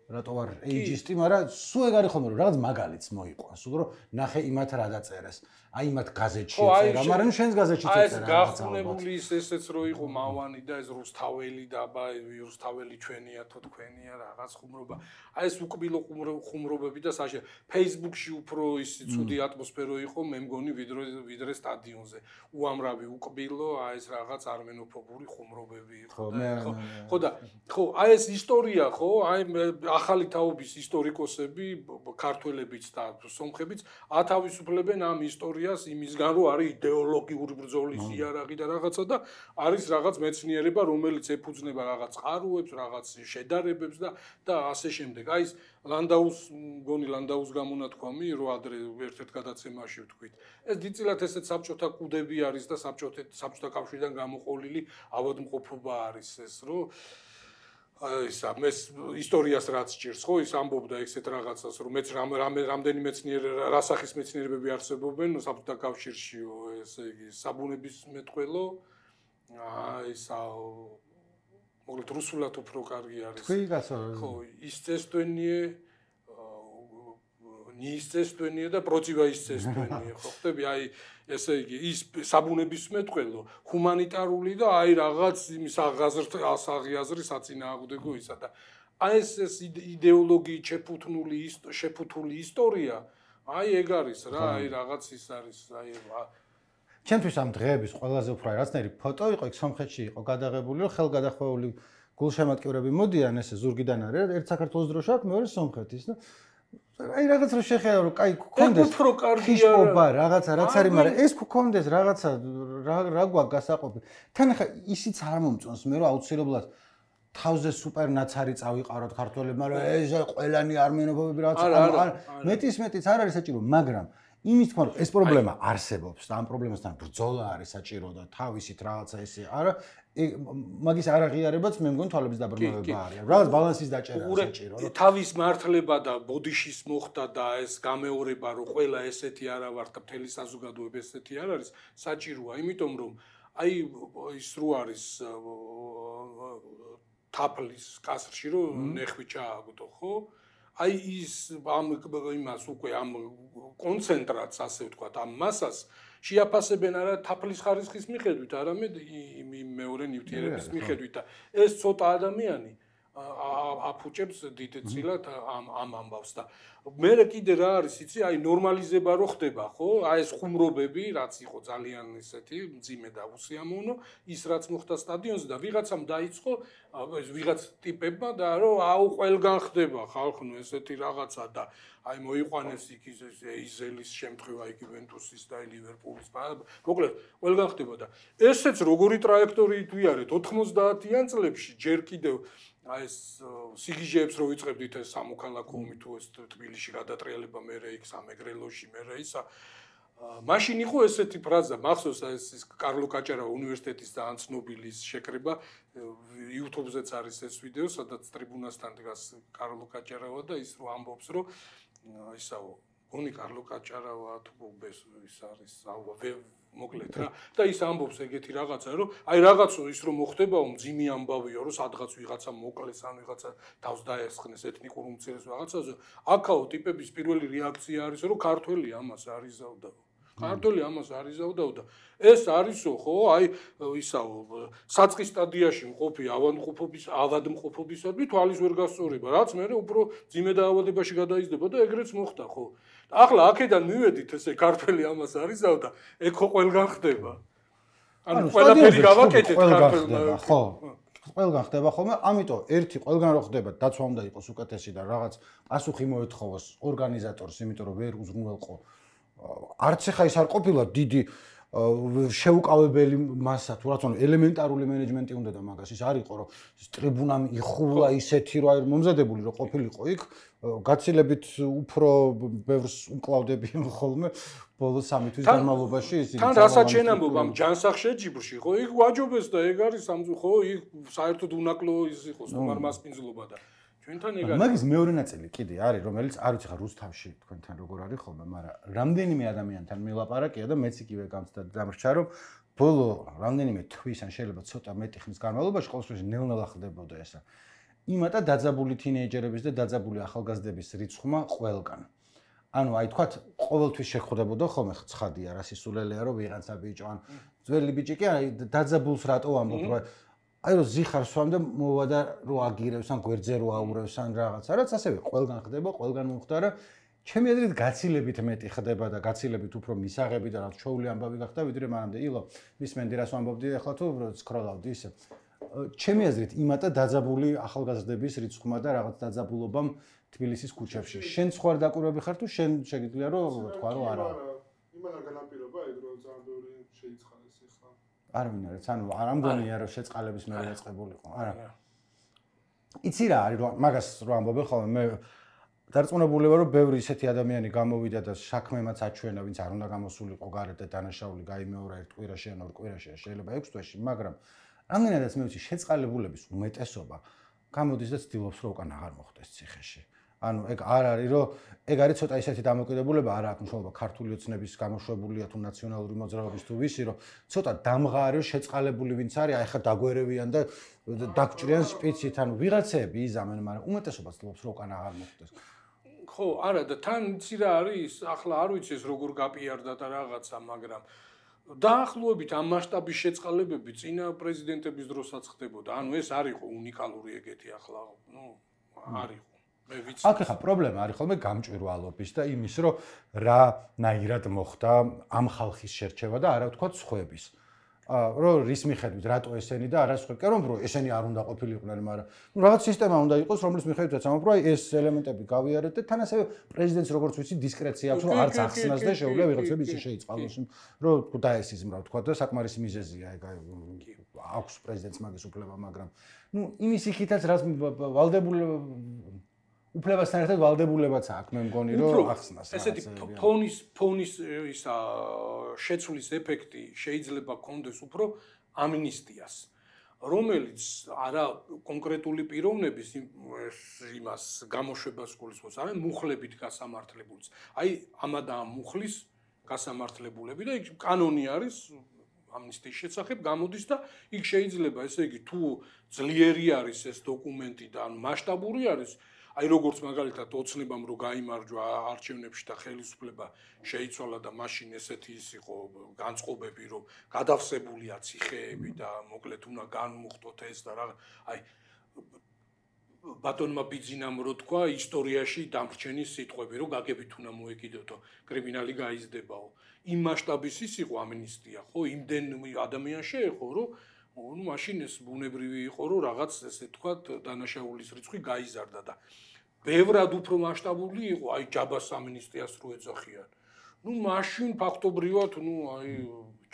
რატო ვარ ეიჯისტი მაგრამ სულ ეგ არის ხოლმე რომ რაღაც მაგალითს მოიყვა სულ რომ ნახე იმათ რა დაწერეს აი მათ გაზეთში წერა მაგრამ შენს გაზეთში წერა ეს გახუნებული ის ესეც რო იყო მავანი და ეს რუსთაველი და აბა რუსთაველი ჩვენია თუ თქვენია რაღაც ხუმრობა აი ეს უკბილო ხუმრობები და საშე Facebook-ში უფრო ის ცუდი ატმოსფერო იყო მე მგონი ვიდრე ვიდრე სტადიონზე უამრავი უკბილო აი ეს რაღაც არმენოფობური ხუმრობები იყო ხო ხო და ხო აი ეს ისტორია ხო აი ახალი თაობის ისტორიკოსები ქართველებიც და სომხებიც ათავისუფლებენ ამ ისტორიას იმისგან რომ არის იდეოლოგიური ბრძოლის იარაღი და რაღაცა და არის რაღაც მეცნიერება რომელიც ეფუძნება რაღაც წყაროებს რაღაც შედარებებს და და ასე შემდეგ აი ეს ლანდაუს მგონი ლანდაუს გამონათქვამი რომ ადრე ერთ-ერთ გადაცემაში ვთქვით ეს დიდწილად ესეც საბჭოთა კუდები არის და საბჭოთა საბჭოთა კავშირიდან გამოყოლილი ავადმყოფობა არის ეს რომ ის ამეს ისტორიას რაც ჭირს ხო ის ამბობდა ესეთ რაღაცას რომ მეც რამდენი მეცნიერი რასახის მეცნიერებები არსებობენ საბჭოთა კავშირშიო ესე იგი საბუნების მეტყველო ისა მოკლედ რუსულად უფრო კარგი არის ხო ის წესტვენიე ნიისწესტვენიე და პროტივაისწესტვენიე ხო ხტები აი ესე იგი ის საბუნების მეტყველო ჰუმანიტარული და აი რაღაც იმის აღაზრდასაღიაზრი საწინააღმდეგო ისა და აი ეს ეს იდეოლოგიით შეფუთნული შეფუთული ისტორია აი ეგ არის რა აი რაღაც ის არის აი ჩემთვის ამ დღეების ყველაზე უფრო რაღაცნაირი ფოტო იყო იქ სომხეთში იყო გადაღებული რომ ხელგადახვეული გულშემატკივრები მოდიან ესე ზურგიდან არის ერთ საქართველოს დროშა აქვს მეორე სომხეთის და აი რაღაც რო შეხება რომ კაი გქონდეს უფრო კარგია რაღაცა რაც არის მაგრამ ეს გქონდეს რაღაცა რა გვაქვს გასაყოფი თან ხა ისიც არ მომწონს მე რომ აუცილებლად თავზე სუპერ ნაცარი წავიყაროთ ქართველებმა რომ ეს ყველანი არმენოფობები რაღაცა მეტის მეტიც არ არის საჭირო მაგრამ იმის თქმა რომ ეს პრობლემა არსებობს და ამ პრობლემასთან ბრძოლა არის საჭირო და თავისით რაღაცა ესე არა მაგის არაღიარებაც მე მგონი თვალების დაბრმავება არის რაღაც ბალანსის დაჭერა საჭირო თავის მართლება და ბოდიშის მოხდა და ეს გამეორება რომ ყველა ესეთი არა ვარ და მთელი საზოგადოება ესეთი არ არის საჭიროა იმიტომ რომ აი ის რო არის თაფლის კასრში რომ ნეხვი ჩააგდო ხო აი ის ამ იმას უკვე ამ კონცენტრატს ასე ვთქვათ ამ მასას შეაფასებენ არა თაფლის ხარისხის მიხედვით არამედ იმ მეორე ნივთიერების მიხედვით და ეს ცოტა ადამიანი აფუჭებს დიდწილად ამ ამ ამბავს და მე კიდე რა არის იცი აი ნორმალიზება რო ხდება ხო აი ეს ხუმრობები რაც იყო ძალიან ისეთი მძიმე და უსიამოვნო ის რაც მოხდა სტადიონზე და ვიღაცამ დაიწყო ეს ვიღაც ტიპებმა და რომ აუ ყველგან ხდება ხალხნო ესეთი რაღაცა და აი მოიყვანეს იქ იზელის შემთხვევა იქ იუვენტუსის და ლივერპულის მოკლედ ყველგან ხდება და ესეც როგორი ტრაექტორიით ვიარეთ ოთხმოცდაათიან წლებში ჯერ კიდევ აი ეს სიგიჟეებს რო ვიწყებდით ეს სამოქალაქო ომი თუ ეს თბილისში გადატრიალება მერე იქ სამეგრელოში მერე ისა მაშინ იყო ესეთი ფრაზა მახსოვს ეს კარლო კაჭარავა უნივერსიტეტის ძალიან ცნობილი შეკრება YouTube-ზეც არის ეს ვიდეო სადაც ტრიბუნასთან დგას კარლო კაჭარავა და ის რო ამბობს რომ ისაო გონი კარლო კაჭარავა თუ ის არის მოკლედ რა და ის ამბობს ეგეთი რაღაცა რომ აი რაღაცო ის რომ მოხდებაო მძიმე ამბავია რომ სადღაც ვიღაცა მოკლეს ან ვიღაცა თავს დაესხნეს ეთნიკურ უმცირეს რაღაცაზე აქაო ტიპების პირველი რეაქცია არის რომ ქართველი ამას არიზავდა ქართველი ამას არიზავდა და ეს არისო ხო აი ისაო საწყის სტადიაში მყოფი ავადმყოფობის ავადმყოფობისადმი თვალის ვერ გასწორება რაც მე უფრო ძიმე დაავადებაში გადაიზრდება და ეგრეც მოხდა ხო ახლა აქედან მივედით ესე ქართველი ამას არიზავდა ეგ ხო ყველგან ხდება ანუ ყველაფერი გავაკეთეთ ქართველმა ხო ყველგან ხდება ხოლმე ამიტომ ერთი ყველგან რო ხდება დაცვა უნდა იყოს უკეთესი და რაღაც პასუხი მოეთხოვოს ორგანიზატორს იმიტომ რომ ვერ უზრუნველყო არც ახლა ის არ ყოფილა დიდი შეუკავებელი მასა თუ რა თქმა უნდა ელემენტარული მენეჯმენტი უნდა და მაგას ის არ იყო რომ ტრიბუნამ იხულა ისეთი რომ აი მომზადებული რომ ყოფილიყო იქ გაცილებით უფრო ბევრს უკლავდებიან ხოლმე ბოლო სამი თვის განმავლობაში ისინი თან რასაც შენ ამბობ ამ ჯანსაღშეჯიბრში ხო იქ ვაჯობეს და ეგ არის ხო იქ საერთოდ უნაკლო ის იყო სტუმარ მასპინძლობა და ჩვენთან ეგ არის მაგის მეორე ნაწილი კიდე არის რომელიც არ ვიცი ხა რუსთავში თქვენთან როგორ არის ხოლმე მაგრამ რამდენიმე ადამიანთან მილაპარაკია და მეც იგივე გამწდა დამრჩა რომ ბოლო რამდენიმე თვის ან შეიძლება ცოტა მეტი ხნის განმავლობაში ყოველთვის ნელ-ნელა ხდებოდა ესა იმატა დაძაბული თინეიჯერების და დაძაბული ახალგაზრდების რიცხვმა ყველგან ანუ აი თქვათ ყოველთვის შეხვდებოდა ხოლმე ცხადია რა სისულელეა რომ ვიღაცა ბიჭო ან ძველი ბიჭი კი აი დაძაბულს რატო ამბობ რა აი რომ ზიხარს ვამ და მოვა და რო აგირებს ან გვერდზე რო აურევს ან რაღაცა რაც ასევე ყველგან ხდება ყველგან მომხდარა ჩემი აზრით გაცილებით მეტი ხდება და გაცილებით უფრო მისაღები და რაც ჩოული ამბავი გახდა ვიდრე მანამდე ილო მისმენდი რას ვამბობდი ახლა თუ სკროლავდი ისე ჩემი აზრით იმატა დაძაბული ახალგაზრდების რიცხვმა და რაღაც დაძაბულობამ თბილისის ქუჩებში შენ სხვა დაკვირვები ხარ თუ შენ შეგიძლია რომ თქვა რომ არა იმან განაპირობა ეგ რომ ძალიან ბევრი შეიცხადეს ახლა არ მინდა რაც ანუ არ ამგონია რომ შეწყალების მე დაწყებულიყო არა იცი რა არის რომ მაგას რო ამბობენ ხოლმე მე დარწმუნებული ვარ რომ ბევრი ისეთი ადამიანი გამოვიდა და საქმემაც აჩვენა ვინც არ უნდა გამოსულიყო გარეთ და დანაშაული გაიმეორა ერთ კვირაში ან ორ კვირაში შეიძლება ექვს თვეში მაგრამ რამდენადაც მე ვიცი შეწყალებულების უმეტესობა გამოდის და ცდილობს რომ უკან აღარ მოხდეს ციხეში ანუ ეგ არ არის რომ ეგ არის ცოტა ისეთი დამოკიდებულება არა აქვს მნიშვნელობა ქართული ოცნების გამოშვებულია თუ ნაციონალური მოძრაობის თუ ვისი რომ ცოტა დამღარი შეწყალებული ვინც არის აი ხა დაგვერევიან და დაგჭრიან სპიცით ანუ ვიღაცები იზამენ მაგრამ უმეტესობა ცდილობს რომ უკან აღარ მოხდეს ხო არა და თან იცი რა არის ახლა არ ვიცი ეს როგორ გაპიარდა და რაღაცა მაგრამ დაახლოებით ამ მასშტაბის შეწყალებები წინა პრეზიდენტების დროსაც ხდებოდა. ანუ ეს არ იყო უნიკალური ეგეთი ახლა, ნუ არ იყო. აქ ახლა პრობლემა არის ხოლმე გამჭვირვალობის და იმის, რომ რა ნაირად მოხდა ამ ხალხის შერჩევა და არა ვთქვათ სხვების. რომ რის მიხედვით რატო ესენი და არა სხვები. კი რომ ბრო ესენი არ უნდა ყოფილიყვნენ, მაგრამ ნუ რაღაც სისტემა უნდა იყოს, რომლის მიხედვითაც ამბობ, რომ ეს ელემენტები გავიარეთ და თან ასევე პრეზიდენტს როგორც ვიცი დისკრეცია აქვს, რომ არც ახსნას და შეუძლია ვიღაცები ისე შეიწყალოს, რომ დაესიზმრა ვთქვათ და საკმარისი მიზეზია ეგ აქვს პრეზიდენტს მაგის უფლება, მაგრამ ნუ იმის იქითაც რაც ვალდებული უფლებასთან ერთად ვალდებულებაც აქვს, მე მგონი, რომ ახსნას. ესეთი ფონის ფონის ისა შეცვლის ეფექტი შეიძლება კონდეს უფრო ამნისტიას, რომელიც არა კონკრეტული პიროვნების იმას გამოშვებას გულისხმობს, არამედ მუხლებით გასამართლებულს. აი ამა და ამ მუხლის გასამართლებულები და იქ კანონი არის ამნისტიის შესახებ გამოდის და იქ შეიძლება ესე იგი თუ ძლიერი არის ეს დოკუმენტი და ანუ მასშტაბური არის აი როგორც მაგალითად ოცნებამ რო გაიმარჯვა არჩევნებში და ხელისუფლება შეიცვალა და მაშინ ესეთი ის იყო განწყობები რომ გადავსებულია ციხეები და მოკლედ უნდა განმუხტოთ ეს და რა აი ბატონმა ბიძინამ რო თქვა ისტორიაში დამრჩენის სიტყვები რომ გაგებით უნდა მოეკიდოთო კრიმინალი გაიზრდებაო იმ მასშტაბის ის იყო ამნისტია ხო იმდენ ადამიანს შეეხო რომ ну машин ეს ბუნებრივი იყო რომ რაღაც ესე თქვა დანაშაულის რიცხვი გაიზარდა და ბევრად უფრო მასშტაბური იყო აი ჯაბას ამნისტიას რო ეძახიან ну машин ფაქტობრივად ну აი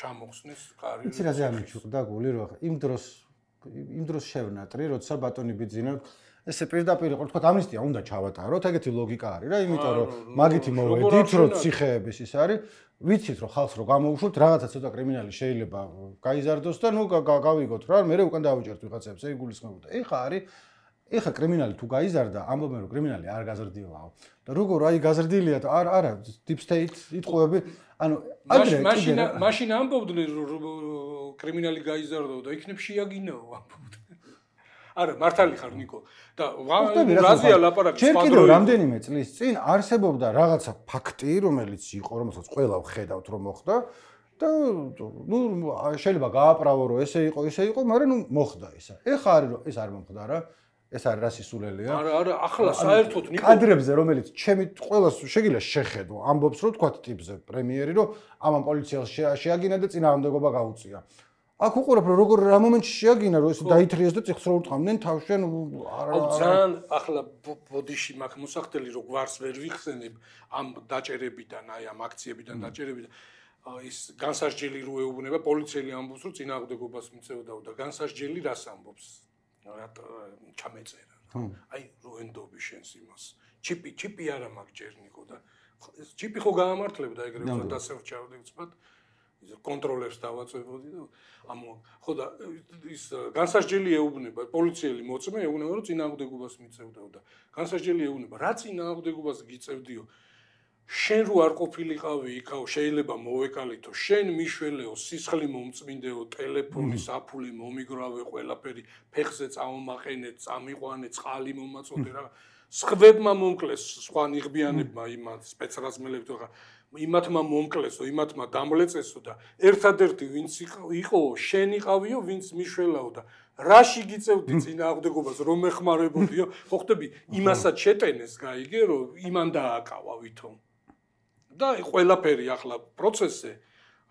ჩამოხსნეს კარი იცი რა ზამიჩუყდა გული რო იმ დროს იმ დროს შევნატრი როცა ბატონი ბიძინა ესე პირდაპირ იყო თქვა ამნისტია უნდა ჩავატაროთ ეგეთი ლოგიკა არის რა იმიტომ რომ მაგითი მოვედით რომ ციხეების ის არის ვიცით რომ ხალხს რო გამოუშვებთ რაღაცა ცოტა კრიმინალი შეიძლება გაიზარდოს და ნუ გავიგოთ რა მე უკან დავიჭერთ ვიღაცებს ეგ გულისხმობდა ეხა არის ეხა კრიმინალი თუ გაიზარდა ამბობენ რომ კრიმინალი არ გაზრდილაო და როგორ აი გაზრდილია და არა არა deep state იტყვები ანუ აგრე მაშინ მაშინ ამბობდნენ რომ კრიმინალი გაიზარდაო და იქნებ შეაგინაო ამბობდნენ არა მართალი ხარ ნიკო და რაზეა ლაპარაკი ჩვენ კიდევ რამდენიმე წლის წინ არსებობდა რაღაცა ფაქტი რომელიც იყო რომელსაც ყველა ვხედავთ რომ მოხდა და ნუ შეიძლება გააправო რომ ესე იყო ესე იყო მაგრამ ნუ მოხდა ისა ეხა არის რომ ეს არ მომხდა რა ეს არის რა სისულელია არა არა ახლა საერთოდ ნიკო კადრებზე რომელიც ჩემი ყველას შეგიძლია შეხედო ამბობს რომ თქვა ტიპზე პრემიერი რომ ამან პოლიციას შეაგინა და წინააღმდეგობა გაუწია აქ უყურებ რომ როგორ რა მომენტში შეაგინა რომ ეს დაითრიეს და წიხს რო ურტყამდნენ თავშენ არა ძალიან ახლა ბოდიში მაქვს მოსახდელი რომ გვარს ვერ ვიხსენებ ამ დაჭერებიდან აი ამ აქციებიდან დაჭერებიდან ის განსასჯელი რო ეუბნება პოლიციელი ამბობს რომ წინააღმდეგობას მიწევდაო და განსასჯელი რას ამბობს რატო ჩამეწერა აი რო ენდობი შენს იმას ჩიპი ჩიპი არა მაქვს ჯერნიკო და ჩიპი ხო გაამართლებდა ეგრევე რომ დასევჭავდი ვცბად ის კონტროლებს დავაწვევოდი და ამ ხო და ის განსასჯელი ეუბნება პოლიციელი მოწმე ეუბნება რომ წინააღმდეგობას მიწევდაო და განსასჯელი ეუბნება რა წინააღმდეგობას გიწევდიო შენ რო არ ყოფილიყავი იქაო შეიძლება მოვეკალითო შენ მიშველეო სისხლი მომწმინდეო ტელეფონი საფული მომიგრავე ყველაფერი ფეხზე წამომაყენე წამიყვანე წყალი მომაწოდე რა სხვებმა მომკლეს სხვა ნიღბიანებმა იმათ სპეცრაზმელებთან ხა იმათმა მომკლესო იმათმა დამლეწესო და ერთადერთი ვინც იყო შენ იყავიო ვინც მიშველაო და რაში გიწევდი წინააღმდეგობას რომ ეხმარებოდიო ხო ხტები იმასაც შეტენეს გაიგე რომ იმან დააკავა ვითომ და ყველაფერი ახლა პროცესზე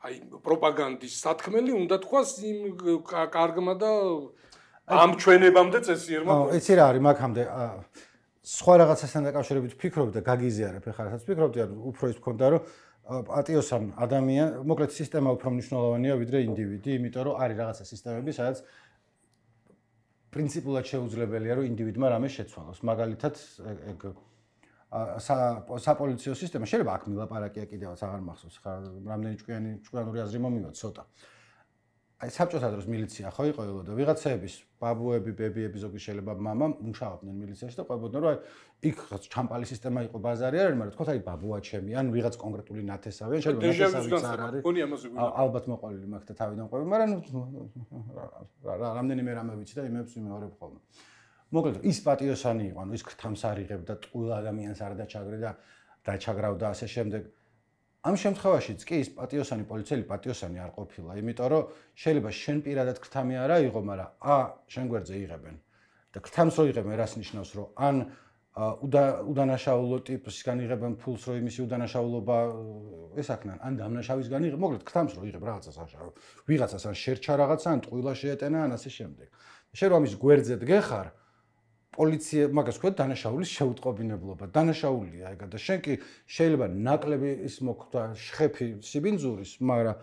აი პროპაგანდის სათქმელი უნდა თქვას იმ კარგმა და ამ ჩვენებამდე წესიერმა ხო იცი რა არის მაგამდე სხვა რაღაცასთან დაკავშირებით ვფიქრობ და გაგიზიარებ ეხლა რასაც ვფიქრობდი ანუ უფრო ის მქონდა რომ პატიოსან ადამიან მოკლედ სისტემა უფრო მნიშვნელოვანია ვიდრე ინდივიდი იმიტომ რომ არის რაღაცა სისტემები სადაც პრინციპულად შეუძლებელია რომ ინდივიდმა რამე შეცვალოს მაგალითად ეგ საპოლიციო სისტემა შეიძლება აქ მილაპარაკია კიდევაც აღარ მახსოვს ხა რამდენი ჭკვიანი ჭკვიანური აზრი მომივა ცოტა აი საბჭოთა დროს მილიცია ხო იყო და ვიღაცების ბაბუები ბებიები ზოგი შეიძლება მამა მუშაობდნენ მილიციაში და ყვებოდნენ რომ აი იქ ჩამპალი სისტემა იყო ბაზარი არ არის მაგრამ თქო აი ბაბუა ჩემი ან ვიღაც კონკრეტული ნათესავი ან შეიძლება ნათესავიც არ არის ალბათ მოყოლილი მაქვს და თავიდან ყვები მაგრამ რამდენიმე რამე ვიცი და იმებს ვიმეორებ ხოლმე მოკლედ ის პატიოსანი იყო ანუ ის ქრთამს არიღებდა ტყუილ ადამიანს არ დაჩაგრე და დაჩაგრავდა ასე შემდეგ ამ შემთხვევაშიც კი ის პატიოსანი პოლიციელი პატიოსანი არ ყოფილა, იმიტომ რომ შეიძლება შენ პირადად ქრთამი არ აიღო, მაგრამ ა შენ გვერდზე იღებენ. და ქრთამს რო იღებენ, რას ნიშნავს, რომ ან უდანაშაულო ტიპისგან იღებენ ფულს, რომ იმისი უდანაშაულობა ესაქნან, ან დამნაშავისგან იღებ, მოკლედ გთამს რომ იღებ რაღაცას ახლა. ვიღაცას ან შერჩა რაღაცა, ან ტყუილა შეეტენა, ან ასე შემდეგ. შენ რომ ამის გვერდზე დგეხარ, პოლიცია მაგას ქვია დანაშაულის შეუტყობინებლობა. დანაშაულია ეგა და შენ კი შეიძლება ნაკლები ის მოხდა შეხები სიბინძურის, მაგრამ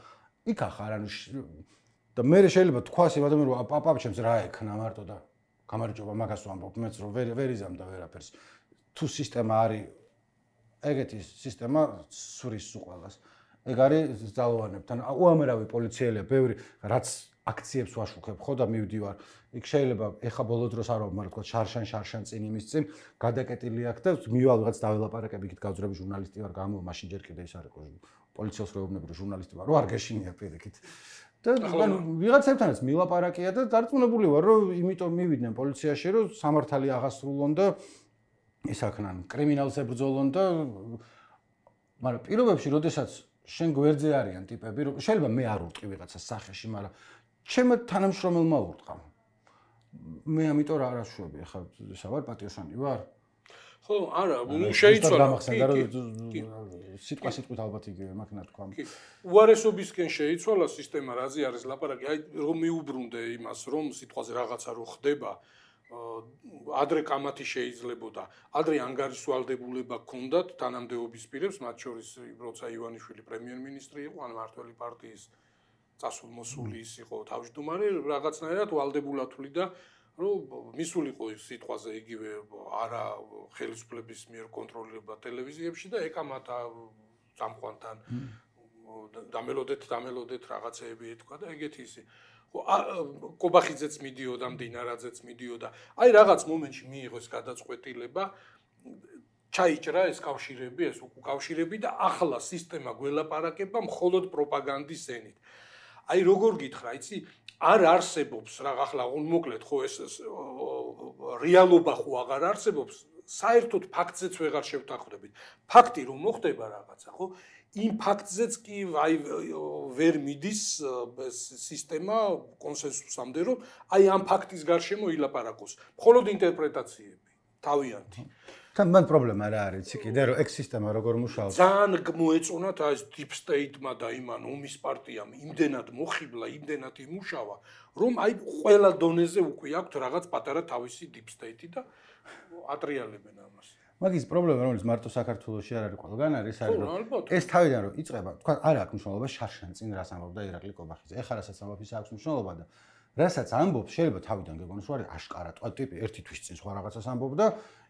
იქ ახარ ანუ და მე შეიძლება თქვას იმ ადამიანს რომ პაპაჩემს რა ექნა მარტო და გამარჯობა მაგას ვამბობ მეც რომ ვერ ვერ იზამდა ვერაფერს თუ სისტემა არის ეგეთი სისტემა სურის უყალას ეგ არის ძალოვანებთან უამრავი პოლიციელია ბევრი რაც აქციებს ვაშუქებ ხო და მივდივარ იქ შეიძლება ეხა ბოლო დროს არ ვამბობ მაგრამ შარშან შარშან წინ იმის წინ გადაკეტილი აქ და მივალ ვიღაც დაველაპარაკებ იქით გავძრები ჟურნალისტი ვარ გამო მაშინ ჯერ კიდე ის არ იყო პოლიციას როეუბნები რომ ჟურნალისტი ვარ რო არ გეშინია პირიქით და ანუ ვიღაცებთანაც მილაპარაკია და დარწმუნებული ვარ რომ იმიტომ მივიდნენ პოლიციაში რომ სამართალი აღასრულონ და ისაქნან კრიმინალს ებრძოლონ და მაგრამ პირობებში როდესაც შენ გვერდზე არიან ტიპები რომ შეიძლება მე არ ურტყი ვიღაცას სახეში მაგრამ ჩემ თანამშრომელმა ურტყა მე ამიტომ რა არაშვები ახლა ისა ვარ პატიოსანი ვარ ხო არა შეიცვალა სიტყვა სიტყვით ალბათ იგივე მაგნა თქვა უარესობისკენ შეიცვალა სისტემა რაზე არის ლაპარაკი აი რომ მიუბრუნდე იმას რომ სიტყვაზე რაღაცა რო ხდება ადრე კამათი შეიძლებოდა ადრე ანგარიშვალდებულება ჰქონდათ თანამდებობის პირებს მათ შორის როცა ივანიშვილი პრემიერ-მინისტრი იყო ან მართველი პარტიის წასულმოსული ის იყო თავმჯდომარე რაღაცნაირად ვალდებულათვლი და რომ მისულიყო სიტყვაზე იგივე არა ხელისუფლების მიერ კონტროლება ტელევიზიებში და ეკამათა წამყვანთან დამელოდეთ დამელოდეთ რაღაცეები ეთქვა და ეგეთი ისი ხო კობახიძეც მიდიოდა მდინარაძეც მიდიოდა აი რაღაც მომენტში მიიღო ეს გადაწყვეტილება ჩაიჭრა ეს კავშირები ეს უკავშირები და ახლა სისტემა გველაპარაკება მხოლოდ პროპაგანდის ენით აი როგორ გითხრა იცი არ არსებობს რა ახლა მოკლედ ხო ეს რეალობა ხო აღარ არსებობს საერთოდ ფაქტზეც ვეღარ შევთანხმდებით ფაქტი რომ მოხდება რაღაცა ხო იმ ფაქტზეც კი აი ვერ მიდის სისტემა კონსენსუსამდე რომ აი ამ ფაქტის გარშემო ილაპარაკოს მხოლოდ ინტერპრეტაციები თავიანთი თან მან პრობლემა რა არის იცი კიდე რომ ეგ სისტემა როგორ მუშაობს ძალიან მოეწონათ აი დიპ სტეიტმა და იმან ომის პარტიამ იმდენად მოხიბლა იმდენად იმუშავა რომ აი ყველა დონეზე უკვე აქვთ რაღაც პატარა თავისი დიპ სტეიტი და ატრიალებენ ამას მაგის პრობლემა რომელიც მარტო საქართველოში არ არის ყველგან არის არის რომ ეს თავიდან რომ იწყება თქვა არ აქვს მნიშვნელობა შარშან წინ რას ამბობდა ირაკლი კობახიძე ეხლა რასაც ამბობს ის აქვს მნიშვნელობა და რასაც ამბობს შეიძლება თავიდან გეგონოს რომ არის აშკარა თქვა ტიპი ერთი თვის წინ სხვა რაღაცას ამბობდა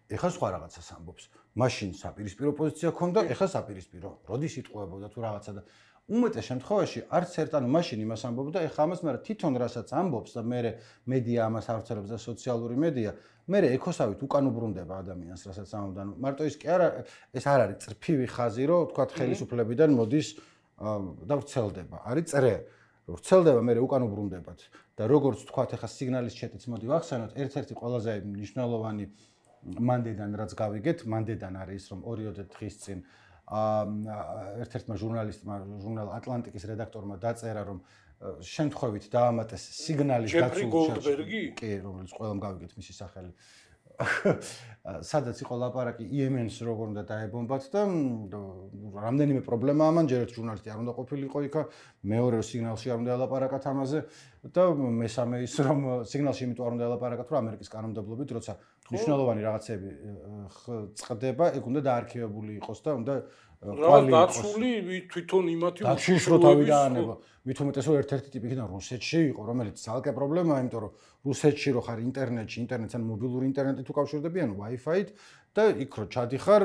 ეხლა სხვა რაღაცას ამბობს მაშინ საპირისპირო პოზიცია ქონდა ეხლა საპირისპირო როდის იტყუებოდა თუ რაღაცა და უმეტეს შემთხვევაში არც ერთ ანუ მაშინ იმას ამბობდა ეხლა ამას მაგრამ თვითონ რასაც ამბობს და მე მედია ამას ავრცელებს და სოციალური მედია მე ეკოსავით უკან უბრუნდება ადამიანს რასაც ამბობდა ანუ მარტო ის კი არა ეს არ არის წრფივი ხაზი რომ თქვა ხელისუფლებიდან მოდის და ვრცელდება არის წრე რომ ვრცელდება მე უკან უბრუნდებათ და როგორც თქვა ეხლა სიგნალის ჩეტიც მოდი ვახსენოთ ერთ-ერთი ყველაზე მნიშვნელოვანი მანდედან რაც გავიგეთ მანდედან არის რომ ორიოდე დღის წინ ერთ-ერთმა ჟურნალისტმა ჟურნალ ატლანტიკის რედაქტორმა დაწერა რომ შემთხვევით დაამატეს სიგნალის გაცვლა კი რომელიც ყველამ გავიგეთ მისი სახელი სადაც იყო ლაპარაკი იემენს როგორ უნდა დაებომბათ და რამდენიმე პრობლემაა მან ჯერ ერთ ჟურნალისტი არ უნდა ყოფილიყო იქა მეორე სიგნალში არ უნდა ელაპარაკათ ამაზე და მესამე ის რომ სიგნალში იმიტომ არ უნდა ელაპარაკათ რომ ამერიკის კანონმდებლობით როცა მნიშვნელოვანი რაღაცები წყდება ეგ უნდა დაარქივებული იყოს და უნდა ყვალი დაცული თვითონ იმათი უშიშროებისაა მით უმეტეს რომ ერთ-ერთი ტიპი იქიდან რუსეთში იყო რომელიც ძალკე პრობლემაა იმიტომ რომ რუსეთში რო ხარ ინტერნეტში ინტერნეტთან მობილური ინტერნეტით უკავშირდები ანუ Wi-Fi-ით და იქ რო ჩადიხარ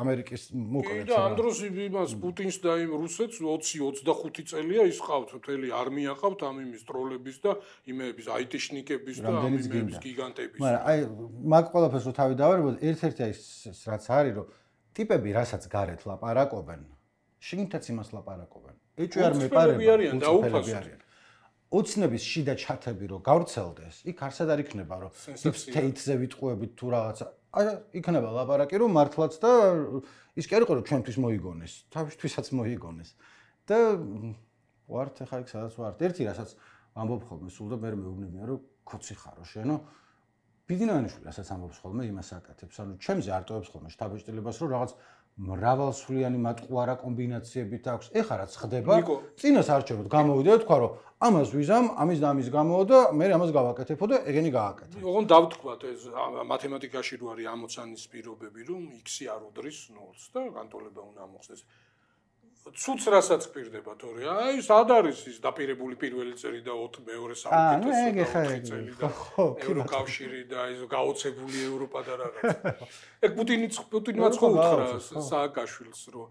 ამერიკის მოკლედ და ამ დროს იმას პუტინს და იმ რუსეთს ოცი ოცდახუთი წელია ის ყავთ მთელი არმია ყავთ ამ იმის ტროლების და იმების აიტიშნიკების და ამ იმების გიგანტების მაგრამ აი მაგ ყველაფერს რო თავი დავარებოთ ერთ-ერთი ის რაც არის რომ ტიპები რასაც გარეთ ლაპარაკობენ შინითაც იმას ლაპარაკობენ ეჭვი არ მეპარება უცნები არიან ოცნების შიდა ჩათები რო გავრცელდეს იქ არსად არ იქნება რომ deep state-ზე ვიტყუებით თუ რაღაცა არა იქნება ლაპარაკი რომ მართლაც და ის კი არ იყო რომ ჩვენთვის მოიგონეს თავისთვისაც მოიგონეს და ვართ ახლა იქ სადაც ვართ ერთი რასაც ამბობ ხოლმე სულ და მე მეუბნებიან რომ ქოცი ხარო შენო ბიძინაიშვილი ასაც ამბობს ხოლმე იმას აკეთებს, ანუ ჩემზე არტოვებს ხოლმე შთაბეჭდილებას, რომ რაღაც მრავალსვლიანი მატყუარა კომბინაციებით აქვს. ეხლა რაც ხდება, წინას არჩევნად გამოვიდა და თქვა, რომ ამას ვიზამ, ამის და ამის გამოვა და მე ამას გავაკეთებო და ეგენი გააკეთე. ოღონდ დავთქვათ ეს მათემატიკაში რო არის ამოცანის პირობები, რომ x-ი არ უდრის ნულს და განტოლება უნდა მოხდეს. ცუც რასაც გვირდება თორე აი სად არის ის დაპირებული პირველი წელი და მეორე საუკეთესო წელი და ევროკავშირი და ის გაოცებული ევროპა და რაღაც ეგ პუტინი პუტინმაც ხო უთხრა სააკაშვილს რომ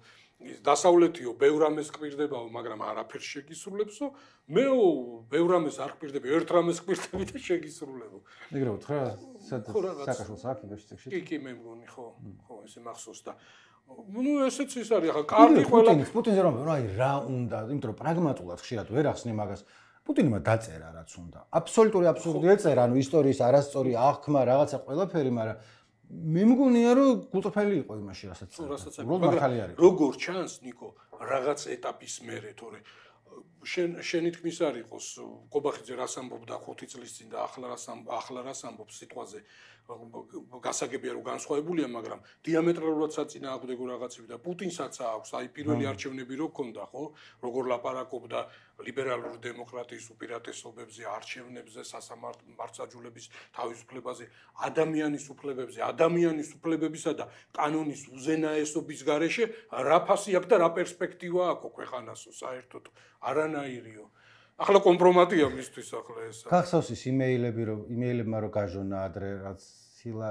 ის დასავლეთიო ბევრ ამეს გვირდებაო მაგრამ არაფერს შეგისრულებსო მეო ბევრ ამეს არ გვირდები ერთ რამეს გვირდები და შეგისრულებო ეგრე უთხრა სააკაშვილს აქ იბეშტექში კი კი მე მგონი ხო ხო ესე მახსოვს და ну ესეც ის არის ახლა კარგი ყველა პუტინის პუტინზე რომ აი რა უნდა იმიტომ რომ პრაგმატულად ხშირად ვერ ახსნე მაგას პუტინმა დაწერა რაც უნდა აბსოლუტური აბსურდი ეწერა ანუ ისტორიის არასწორი აღქმა რაღაცა ყველაფერი მაგრამ მე მგონია რომ გულწრფელი იყო იმაში რასაც რასაც მაგრამ როგორ ჩანს ნიკო რაღაც ეტაპის მერე თორე შენ შენი თქმის არ იყოს კობახიძე რას ამბობდა ხუთი წლის წინ და ახლა რას ახლა რას ამბობს სიტყვაზე გასაგებია რომ განსხვავებულია მაგრამ დიამეტრალურად საწინააღმდეგო რაღაცები და პუტინსაც აქვს აი პირველი არჩევნები რო ქონდა ხო როგორ ლაპარაკობდა ლიბერალური დემოკრატიის უპირატესობებზე არჩევნებზე სასამართლოების თავისუფლებაზე ადამიანის უფლებებზე ადამიანის უფლებებისა და კანონის უზენაესობის გარეშე რა ფასი აქვს და რა პერსპექტივა აქვს ქვეყანასო საერთოდ არანაირიო ახლა კომპრომატია მისთვის ახლა ეს. გახსოვს ის იმეილები რომ იმეილებმა რომ გაჟონა ადრე რაც ჰილა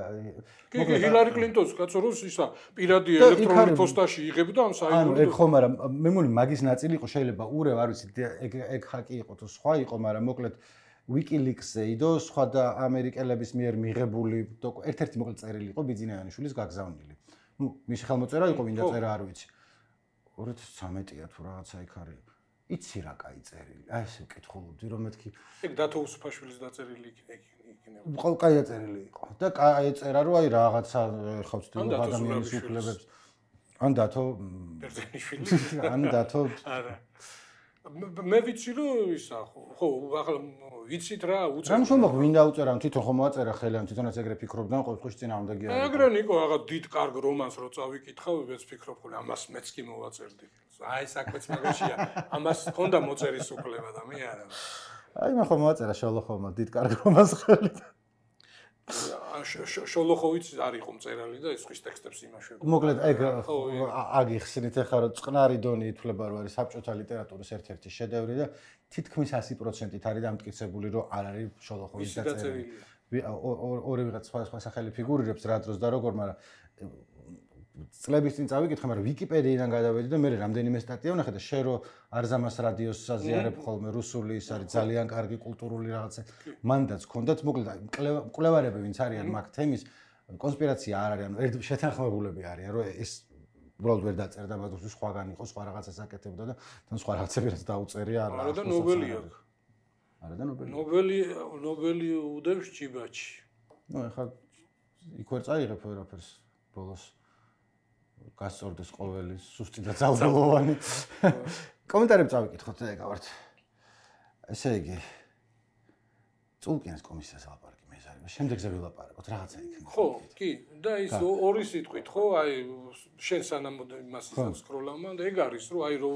მოკლედ ჰილარი კლინტონს კაცო რომ ისა პირადი ელექტრონული პოსტაში იღებდა ამ საერთოდ. ანუ ეგ ხომ არა მე მგონი მაგის ნაწილი იყო შეიძლება ურევ არ ვიცი ეგ ეგ ხაკი იყო თუ სხვა იყო მაგრამ მოკლედ WikiLeaks-ზე იდო სხვა და ამერიკელების მიერ მიღებული ერთ-ერთი მოკლედ წერილი იყო ბიძინაიანიშვილის გაგზავნილი. ნუ მისი ხელმოწერა იყო მინდა წერა არ ვიცი. ორი ათას ცხრამეტია თუ რაღაცა იქ არის. იცი რა კაი წერილი. აი ესე ვკითხულობდი რომ მეთქი. ეგ დათო უსუფაშვილის დაწერილი იქნება. ყო კაი წერილი იყო. და კაი წერა რომ აი რაღაცა ხო ვცდილობ ადამიანის უფლებებს. ან დათო ბერძენიშვილი. ან დათო არა. მე ვიცი რომ ისა ხო ახლა ვიცით რა უწერ. რამ შემოხ ვინ დაუწერა თვითონ ხომ მოაწერა ხელი ამ თვითონაც ეგრე ფიქრობდა ყოველთვის წინააღმდეგი არის. ეგრე ნიკო აღა დიდ კარგ რომანს რო წავიკითხავ მეც ფიქრობ ხოლმე ამას მეც კი მოვაწერდი. აი საქმეც მაგაშია ამას ჰქონდა მოწერის უფლება და მე არა. აი მე ხომ მოაწერა შოლოხოვმა დიდ კარგ რომანს ხელი. შოლოხოვიც არ იყო მწერალი და ის ხის ტექსტებს იმაშვებდა. მოკლედ ეგ აგიხსნით ახლა რომ წყნარი დონი ითვლება რომ არის საბჭოთა ლიტერატურის ერთ-ერთი შედევრი და თითქმის ასი პროცენტით არის დამტკიცებული რომ არ არის შოლოხოვის დაწერილი. ორი ვიღაც სხვა სხვა სახელი ფიგურირებს რა დროს და როგორ მაგრამ წლების წინ წავიკითხე მაგრამ ვიკიპედიიდან გადავედი და მე რამდენიმე სტატია ვნახე და შენ რო არზამას რადიოს საზიარებ ხოლმე რუსული ის არის ძალიან კარგი კულტურული რაღაცა მანდაც ჰქონდათ მოკლედ მკვლევარები ვინც არიან მაგ თემის კონსპირაცია არ არის ანუ ერთ შეთანხმებულები არიან რომ ეს უბრალოდ ვერ დაწერდა მაგას სხვაგან იყო სხვა რაღაცას აკეთებდა და თან სხვა რაღაცები რაც დაუწერია არა არა და ნობელი აქვს არა და ნობელი ნობელი ნობელი უდევს ჭიბაჩი ნუ ეხლა იქ ვერ წაიღებ ვერაფერს ბოლოს გასწორდეს ყოველი სუსტი და ძალდელოვანი. კომენტარები წავიკითხოთ და ეკავართ. ესე იგი წულკიანის კომისიას ლაპარაკი მე ეს არის. შემდეგზე ვილაპარაკოთ რაღაცა იქნება. ხო, კი, და ის ორი სიტყვით, ხო, აი შენ სანამ იმას ისკროლავ და ეგ არის, რომ აი რო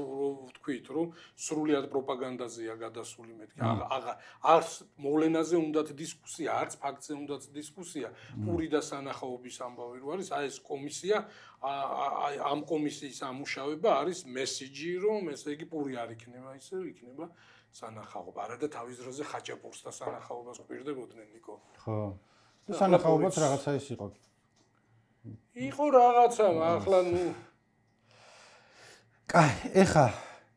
ვთქვით, რომ სრულად პროპაგანდაზეა გადასული მეთქი. აღა არც მოვლენაზე უნდათ დისკუსია, არც ფაქტზე უნდათ დისკუსია. პური და სანახაობის ამბავი რო არის, აი ეს კომისია აი ამ კომისიის ამუშავება არის მესიჯი, რომ ესე იგი პური არ იქნება, ისე იქნება სანახაობა. არა და თავის დროზე ხაჭაპურს და სანახაობას გვირდებოდნენ ნიკო. ხო. და სანახაობაც რაღაცა ის იყო. იყო რაღაცა, ახლა ნუ კაი, ეხა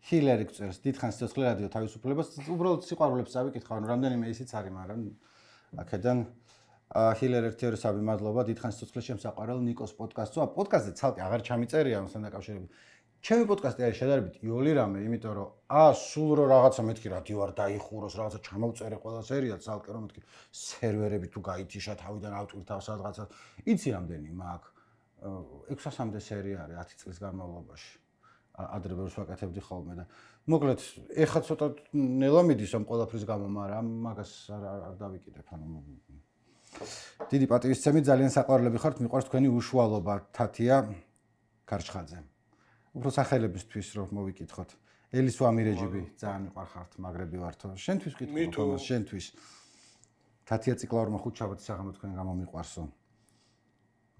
ჰილარი გწერს დიდხანს ცოცხლე რადიო თავისუფლებას, უბრალოდ სიყვარულებს წავიკითხავ, რომ რამდენიმე ისიც არის, მაგრამ აქედან ჰილერ ერთიორისაბი მადლობა დიდხანს ცოცხლე შემსაყვარელ ნიკოს პოდკასტსო. პოდკასტზე ცალკე აღარ ჩამიწერია ამასთან დაკავშირებით. ჩემი პოდკასტი არის შედარებით იოლი რამე, იმიტომ რომ აა სულ რო რაღაცა მეთქი რადიო არ დაიხუროს, რაღაცა ჩამოვწერე ყველა სერია ცალკე რომ მეთქი სერვერები თუ გაითიშა თავიდან ავტვირთავ სადღაცა. იცი რამდენი მაქვს? ექვსასამდე სერია არის ათი წლის განმავლობაში. ადრე ბევრს ვაკეთებდი ხოლმე და მოკლედ ეხლა ცოტა ნელა მიდის ამ ყველაფრის გამო, მაგრამ მაგას არ არ დავიკიდებ, ანუ დიდი პატივისცემით ძალიან საყვარლები ხართ, მიყვარს თქვენი უშუალობა, თათია ქარჩხაძე. უფრო სახელებისთვის რომ მოვიკითხოთ. ელის ვამირეჯიბი ძალიან მიყვარხართ, მაგრები ვართო. შენთვის ვკითხო თომას, შენთვის. თათია ციკლაურმა ხუთშაბათის საღამო თქვენ გამომიყვარსო.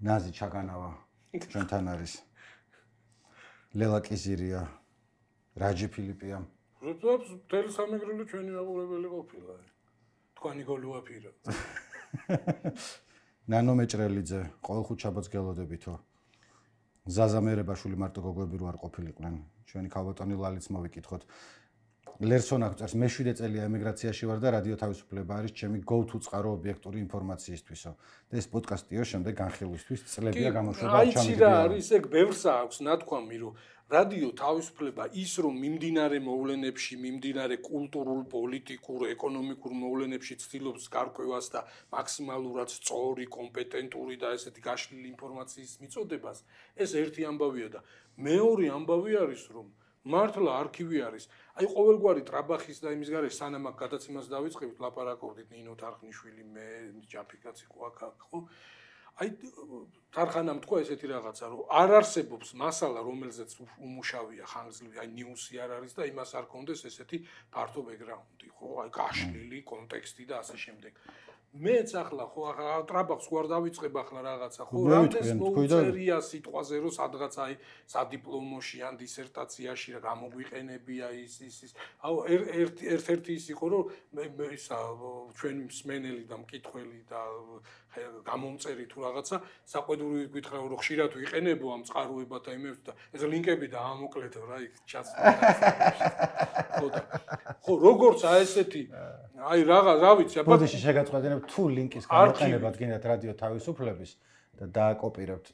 ნაზი ჩაგანავა ჩვენთან არის. ლელა კიზირია, რაჯი ფილიპია. როდესაც მთელი სამეგრელო ჩვენი მაყურებელი ყოფილა. თქვენი გოლუა ფირა. ნანო მეჭრელიძე, ყოველ ხუთშაბათს გელოდებითო. ზაზა მერებაშვილი მარტო გოგოები რო არ ყოფილიყვნენ. ჩვენი ქალბატონი ლალიც მოვიკითხოთ. ლერსონ აკწერს, მე შვიდე წელია ემიგრაციაში ვარ და რადიო თავისუფლება არის ჩემი go to წყარო ობიექტური ინფორმაციისთვისო. და ეს პოდკასტიო შემდეგ განხილვისთვის წლებია გამოშვება ჩამიგდია. აი ცირა არის, ეგ ბევრს აქვს ნათქვამი, რომ რადიო თავისუფლება ის რომ მიმდინარე მოვლენებში, მიმდინარე კულტურულ, პოლიტიკურ, ეკონომიკურ მოვლენებში ცდილობს გარკვევას და მაქსიმალურად სწორი, კომპეტენტური და ესეთი გაშლილი ინფორმაციის მიწოდებას, ეს ერთი ამბავია და მეორე ამბავი არის რომ მართლა არქივი არის. აი ყოველგვარი ტრაბახის და იმის გარშე სანამ აქ გადაცემას დავიწყებთ, ლაპარაკობდით ნინო თარხნიშვილი, მე ჯაფიკაც იყო აქ, ხო? აი თარხანამ თქვა ესეთი რაღაცა, რომ არ არსებობს მასალა, რომელზეც უმუშავია ხანგრძლივი, აი ნიუსი არ არის და იმას არ კონდეს ესეთი ფართო ბექგრაუნდი, ხო? აი გაშლილი კონტექსტი და ასე შემდეგ. მეც ახლა ხო ტრაბახს ვარ დავიწყებ ახლა რაღაცა, ხო? რამდენს მოუწერია სიტყვაზე, რომ სადღაც აი სადიპლომოში ან დისერტაციაში რა გამოგვიყენებია ის ის ის. აუ ერთ-ერთი ის იყო, რომ ისა ჩვენი მსმენელი და მკითხველი და გამომწერი თუ რაღაცა საყვედური გითხრა რომ ხშირად ვიყენებო ამ წყაროებათა იმებს და ეს ლინკები და ამოკლეთო რა იქ ჩაცდა. ხო და ხო როგორც აი ესეთი აი რაღა რა ვიცი აბა ბოდიში შეგაწყვეტინებ თუ ლინკის გამოყენებად გინდათ რადიო თავისუფლების და დააკოპირებთ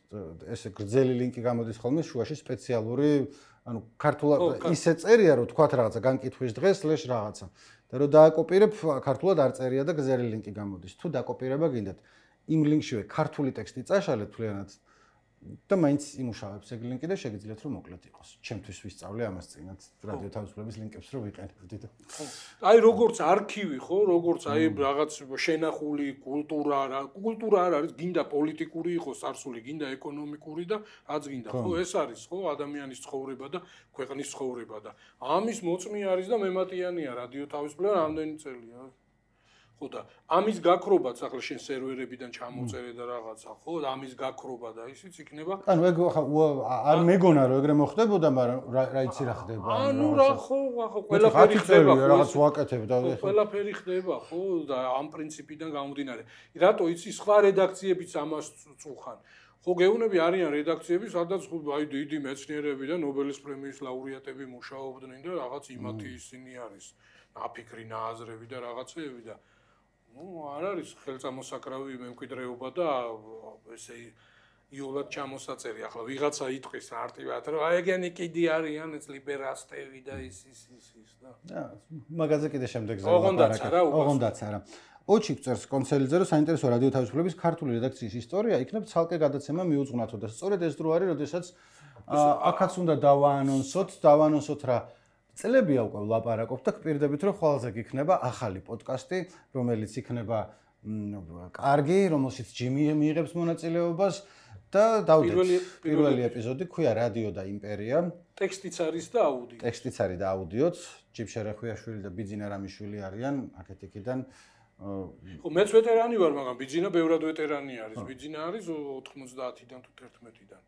ესე გრძელი ლინკი გამოდის ხოლმე შუაში სპეციალური ანუ ქართულად ისე წერია რომ თქვათ რაღაცა განკითხვის დღეს სლეშ რაღაცა და რომ დააკოპირებ ქართულად არ წერია და გრძელი ლინკი გამოდის თუ დაკოპირება გინდათ იმ ლინკშივე ქართული ტექსტი წაშალეთ თლიანად და მაინც იმუშავებს ეგ ლინკი და შეგიძლიათ რომ მოკლედ იყოს. ჩემთვის ვისწავლე ამას წინათ რადიო თავისუფლების ლინკებს რომ ვიყენებდი და. აი როგორც არქივი ხო, როგორც აი რაღაც შენახული კულტურა რა, კულტურა არ არის, გინდა პოლიტიკური იყოს წარსული, გინდა ეკონომიკური და რაც გინდა, ხო, ეს არის ხო ადამიანის ცხოვრება და ქვეყნის ცხოვრება და ამის მოწმე არის და მემატიანია რადიო თავისუფლება რამდენი წელია. ხო და ამის გაქრობაც ახლა შენ სერვერებიდან ჩამოწერე და რაღაცა ხო და ამის გაქრობა და ისიც იქნება ანუ ეგ არ მეგონა რომ ეგრე მოხდებოდა მაგრამ რა იცი რა ხდება ანუ რა ხო ხო ყველაფერი ხდება რაღაც ვაკეთებ და ყველაფერი ხდება ხო და ამ პრინციპიდან გამომდინარე რატო იცი სხვა რედაქციებიც ამას წუხან ხო გეუბნები არიან რედაქციები სადაც აი დიდი მეცნიერები და ნობელის პრემიის ლაურეატები მუშაობდნენ და რაღაც იმათი ისინი არის აფიქრი ნააზრები და რაღაცეები და ну არ არის ხელწამოსაკრავი მემკვიდრეობა და ესე იოლად ჩამოსაწერი ახლა ვიღაცა იტყვის არტივად რომ აი ეგენი კიდე არიან ეს ლიბერასტები და ის ის ის ის და მაგაზე კიდე შემდეგ ზოგადად ოღონდაც არა ოღონდაც არა ოჩი წერს კონსელიძე რომ საინტერესო რადიო თავისუფლების ქართული რედაქციის ისტორია იქნებ ცალკე გადაცემა მიუძღვნათო და სწორედ ეს დრო არის როდესაც აქაც უნდა დავაანონსოთ დავაანონსოთ რა წლებია უკვე ვლაპარაკობთ და პირდებით რომ ხვალზე გიქნება ახალი პოდკასტი, რომელიც იქნება კარგი, რომელშიც ჯიმი მიიღებს მონაწილეობას და დავდეთ პირველი ეპიზოდი ქვია რადიო და იმპერია. ტექსტიც არის და აუდიო. ტექსტიც არის და აუდიოც. ჯიბშე რეხვიაშვილი და ბიძინა რამიშვილი არიან აქეთ-იქიდან. ხო მეც ვეტერანი ვარ, მაგრამ ბიძინა ბევრად ვეტერანი არის. ბიძინა არის ოთხმოცდაათიდან თუ თერთმეტიდან.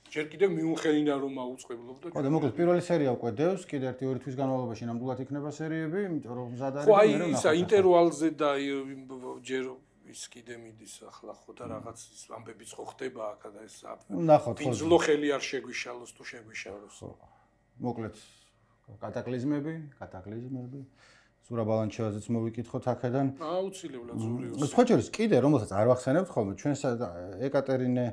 ჯერ კიდევ მიუნხენინა რომ აუწყებლობდა. ხო და მოკლედ პირველი სერია უკვე დევს, კიდე ერთი ორი თვის განმავლობაში ნამდვილად იქნება სერიები, იმიტომ რომ მზად არის. ხო აი ისა ინტერვალზე და ჯერ ის კიდე მიდის ახლა ხო და რაღაც ის ამბებიც ხო ხდება აქ და ეს ნახოთ ხო. ძლო ხელი არ შეგვიშალოს თუ შეგვიშალოს. ხო. მოკლედ კატაკლიზმები, კატაკლიზმები. ზურა ბალანჩევაძეც მოვიკითხოთ აქედან. აუცილებლად ზურიოს. სხვა შორის კიდე რომელსაც არ ვახსენებთ ხოლმე ჩვენს ეკატერინე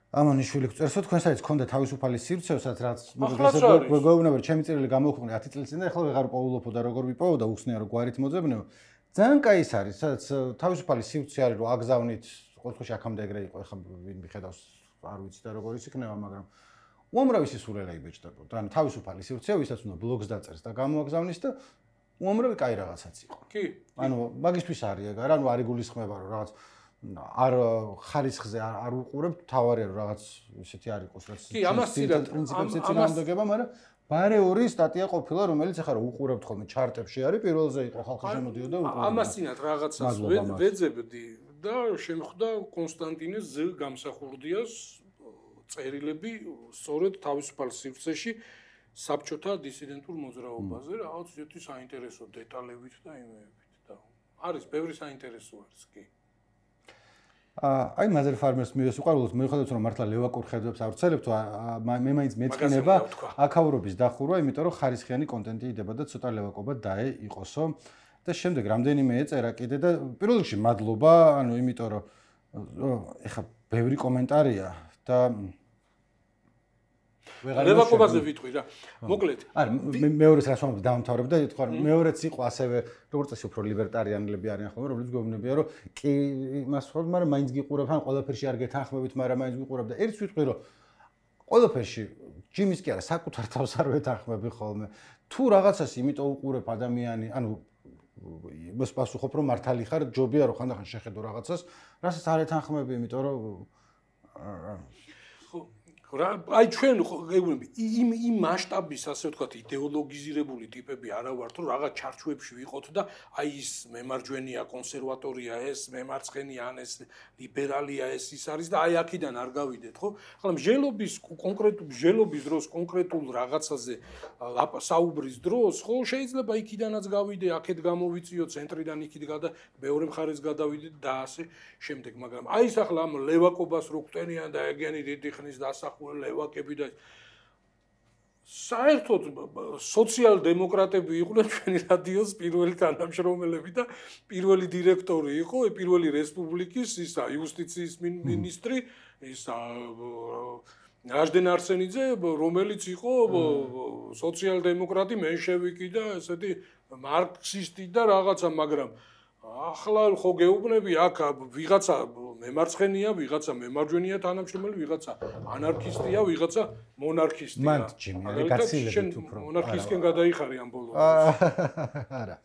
ამანიშვილი წერსო თქვენ საერთოდ ქონდა თავისუფალი სივრცესაც რაც მოგეუბნება ჩემი წერილი გამოვხმე ათი წლის წინ და ახლა ვეღარ პოულობო და როგორ ვიპოვო და უხსნია რომ გვარით მოძებნებო ძალიან კაი ის არის სადაც თავისუფალი სივრცე არის რომ აგზავნით ყოველთვის აქამდე ეგრე იყო ახლა ვინ მიხედავს არ ვიცი და როგორ ის იქნება მაგრამ უამრავი სისულელე იბეჭდებოდა ანუ თავისუფალი სივრცე ვისაც უნდა ბლოგს დაწერს და გამოაგზავნის და უამრავი კაი რაღაცაც იყო. კი. ანუ მაგისთვის არის ეგ არა, ანუ არ იგულისხმება რომ რაღაც არ ხარისხზე არ უყურებთ, თავარია რომ რაღაც ისეთი არ იყოს, რაც კი, ამას ცირად პრინციპებს ეცინააღმდეგება, მაგრამ ბარე ორი სტატია ყოფილა, რომელიც ახლა რომ უყურებთ ხოლმე ჩარტებში არის, პირველზე იყო ხალხი შემოდიოდა და უყურებდა. ამას ცინათ რაღაცას ვეძებდი და შემხვდა კონსტანტინეს ზე გამსახურდიას წერილები სწორედ თავისუფალ სივრცეში საბჭოთა დისიდენტურ მოძრაობაზე, რაღაც ისეთი საინტერესო დეტალებით და იმეებით და არის ბევრი საინტერესო არის კი. აი მაზერ ფარმერს მივესიყვარულოთ, მიუხედავად რომ მართლა ლევაკურხედებს ავრცელებთ, მე მაინც მეწყინება აკავრობის დახურვა, იმიტომ რომ ხარისხიანი კონტენტი იდება და ცოტა ლევაკობა დაე იყოსო და შემდეგ რამდენიმე ეწერა კიდე და პირველ რიგში მადლობა, ანუ იმიტომ რომ ეხა ბევრი კომენტარია და ლევაკობაზე ვიტყვი რა. მოკლედ. არა, მეორეს რას ვამბობ დავამთავრებ და თქვა რომ მეორეც იყო ასევე როგორც წესი უფრო ლიბერტარიანელები არიან ხოლმე, რომლებიც გვეუბნებიან რომ კი იმას ხო, მაგრამ მაინც გიყურებ, ან ყველაფერში არ გეთანხმებით, მაგრამ მაინც გიყურებ და ერთს ვიტყვი რომ ყველაფერში ჯიმის კი არა, საკუთარ თავს არ ვეთანხმები ხოლმე. თუ რაღაცას იმიტომ უყურებ ადამიანი, ანუ იმას პასუხობ რომ მართალი ხარ, ჯობია რომ ხანდახან შეხედო რაღაცას, რასაც არ ეთანხმები, იმიტომ რომ რა აი ჩვენ გეუბნები იმ იმ მასშტაბის ასე ვთქვათ იდეოლოგიზირებული ტიპები არა ვართ რომ რაღაც ჩარჩოებში ვიყოთ და აი ის მემარჯვენეა კონსერვატორია ეს მემარცხენეა ან ეს ლიბერალია ეს ის არის და აი აქედან არ გავიდეთ ხო ახლა მსჯელობის კონკრეტულ მსჯელობის დროს კონკრეტულ რაღაცაზე საუბრის დროს ხო შეიძლება იქიდანაც გავიდე აქეთ გამოვიწიო ცენტრიდან იქით გადა მეორე მხარეს გადავიდე და ასე შემდეგ მაგრამ აი ეს ახლა ამ ლევაკობას რო გვტენიან და ეგენი დიდი ხნის დასახ ლევაკები და საერთოდ სოციალ-დემოკრატები იყვნენ ჩვენი რადიოს პირველი თანამშრომლები და პირველი დირექტორი იყო პირველი რესპუბლიკის ისა იუსტიციის მინისტრი ისა რაჟდენ არსენიძე რომელიც იყო სოციალ-დემოკრატი მენშევიკი და ესეთი მარქსისტი და რაღაცა მაგრამ ახლა ხო გეუბნები აქ ვიღაცა მემარცხენეა, ვიღაცა მემარჯვენეა თანამშრომელი, ვიღაცა ანარქისტია, ვიღაცა მონარქისტია. მან ჯიმი, არის გაცილებით უფრო. მონარქისტკენ გადაიხარე ამ ბოლოს. არა.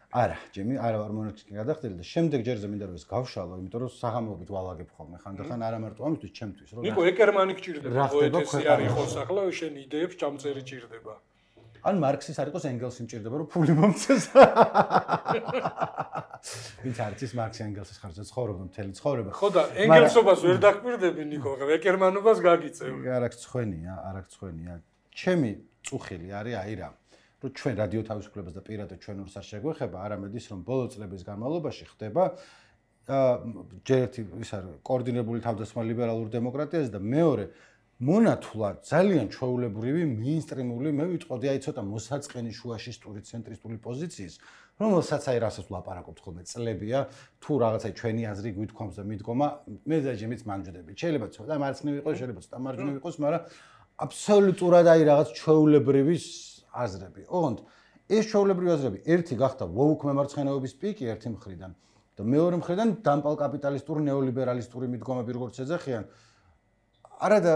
არა, ჯიმი, არა ვარ მონარქისტკენ გადახდელი და შემდეგ ჯერზე მინდა რომ ეს გავშალო, იმიტომ რომ საღამოობით ვალაგებ ხოლმე ხანდახან არა მარტო ამისთვის, ჩემთვის რომ. ნიკო ეკერმანი გჭირდება, პოეტესი არ იყოს ახლა შენ იდეებს ჩამწერი ჭირდება. ან მარქსის არ იყოს ენგელსი მჭირდება რომ ფული მომწეს. ვინც არის ის მარქსი ენგელსის ხარჯზე ცხოვრობდა მთელი ცხოვრება. ხო და ენგელსობას ვერ დაკვირდები ნიკო, ეკერმანობას გაგიწევ. არ აქვს ცხენია, არ აქვს ცხენია. ჩემი წუხილი არის აი რა, რომ ჩვენ რადიო თავისუფლებას და პირადად ჩვენ ორს არ შეგვეხება, არამედ ის რომ ბოლო წლების განმავლობაში ხდება ჯერ ერთი ის არის კოორდინირებული თავდასხმა ლიბერალურ დემოკრატიაზე და მეორე მონათულად ძალიან ჩვეულებრივი მეინსტრიმული მე ვიტყოდი აი ცოტა მოსაწყენი შუაში სტური ცენტრისტული პოზიციის რომელსაც აი რასაც ვლაპარაკობთ ხოლმე წლებია თუ რაღაცა ჩვენი აზრი გვითქვამს და მიდგომა მე და ჯემიც მანჯდები შეიძლება ცოტა მარცხნივ იყოს შეიძლება ცოტა მარჯვნივ იყოს მაგრამ აბსოლუტურად აი რაღაც ჩვეულებრივი აზრები ოღონდ ეს ჩვეულებრივი აზრები ერთი გახდა ვოუკ მემარცხენეობის პიკი ერთი მხრიდან და მეორე მხრიდან დამპალ კაპიტალისტური ნეოლიბერალისტური მიდგომები როგორც ეძახიან არა და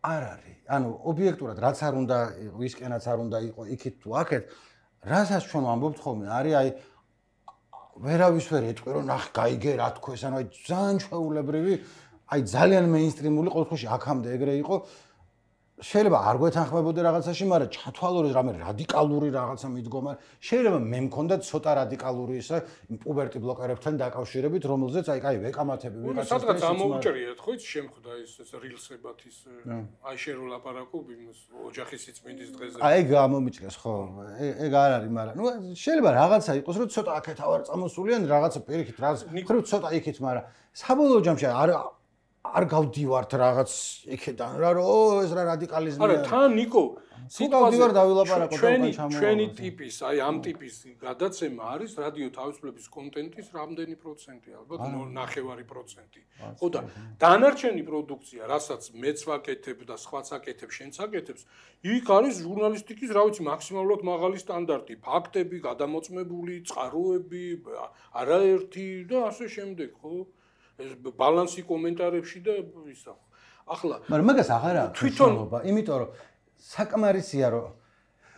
არ არის. ანუ ობიექტურად რაც არ უნდა ვისკენაც არ უნდა იყო იქით თუ აქეთ, რასაც ჩვენ ვამბობთ ხოლმე, არის აი ვერავის ვერ ეტყვი რომ ნახ გაიგე რა თქოს, ანუ აი ძალიან ჩვეულებრივი, აი ძალიან მეინსტრიმული ყოველ შემთხვევაში აქამდე ეგრე იყო. შეიძლება არ გვეთანხმებოდე რაღაცაში, მაგრამ ჩათვალოთ რამე რადიკალური რაღაცა მიდგომა. შეიძლება მე მქონდა ცოტა რადიკალური ისა პუბერტი ბლოკერებთან დაკავშირებით, რომელზეც აი კაი ვეკამათები ვიღაცას. სადღაც ამოუჭრიეთ ხო ის შემხვდა ის რილსებად ის აი შენ რო ლაპარაკობ იმის ოჯახის სიწმინდის დღეზე. აი გამომიჭრეს ხო. ეგ არ არის, მაგრამ ნუ შეიძლება რაღაცა იყოს, რომ ცოტა აქეთ ავარ წამოსულიან, რაღაცა პირიქით რაღაც ხრივ ცოტა იქით, მაგრამ საბოლოო ჯამში არ არ გავდივართ რაღაც იქედან რა რო ეს რა რადიკალიზმია არა თან ნიკო სიტყვაზე დავილაპარაკო ჩვენი ჩვენი ტიპის აი ამ ტიპის გადაცემა არის რადიო თავისუფლების კონტენტის რამდენი პროცენტი ალბათ ნახევარი პროცენტი ხო და დანარჩენი პროდუქცია რასაც მეც ვაკეთებ და სხვაც აკეთებ შენც აკეთებს იქ არის ჟურნალისტიკის რა ვიცი მაქსიმალურად მაღალი სტანდარტი ფაქტები გადამოწმებული წყაროები არაერთი და ასე შემდეგ ხო ეს ბალანსი კომენტარებში და ისა ახლა მაგრამ მაგას აღარ აქვს თვითონობა იმიტომ რომ საკმარისია რომ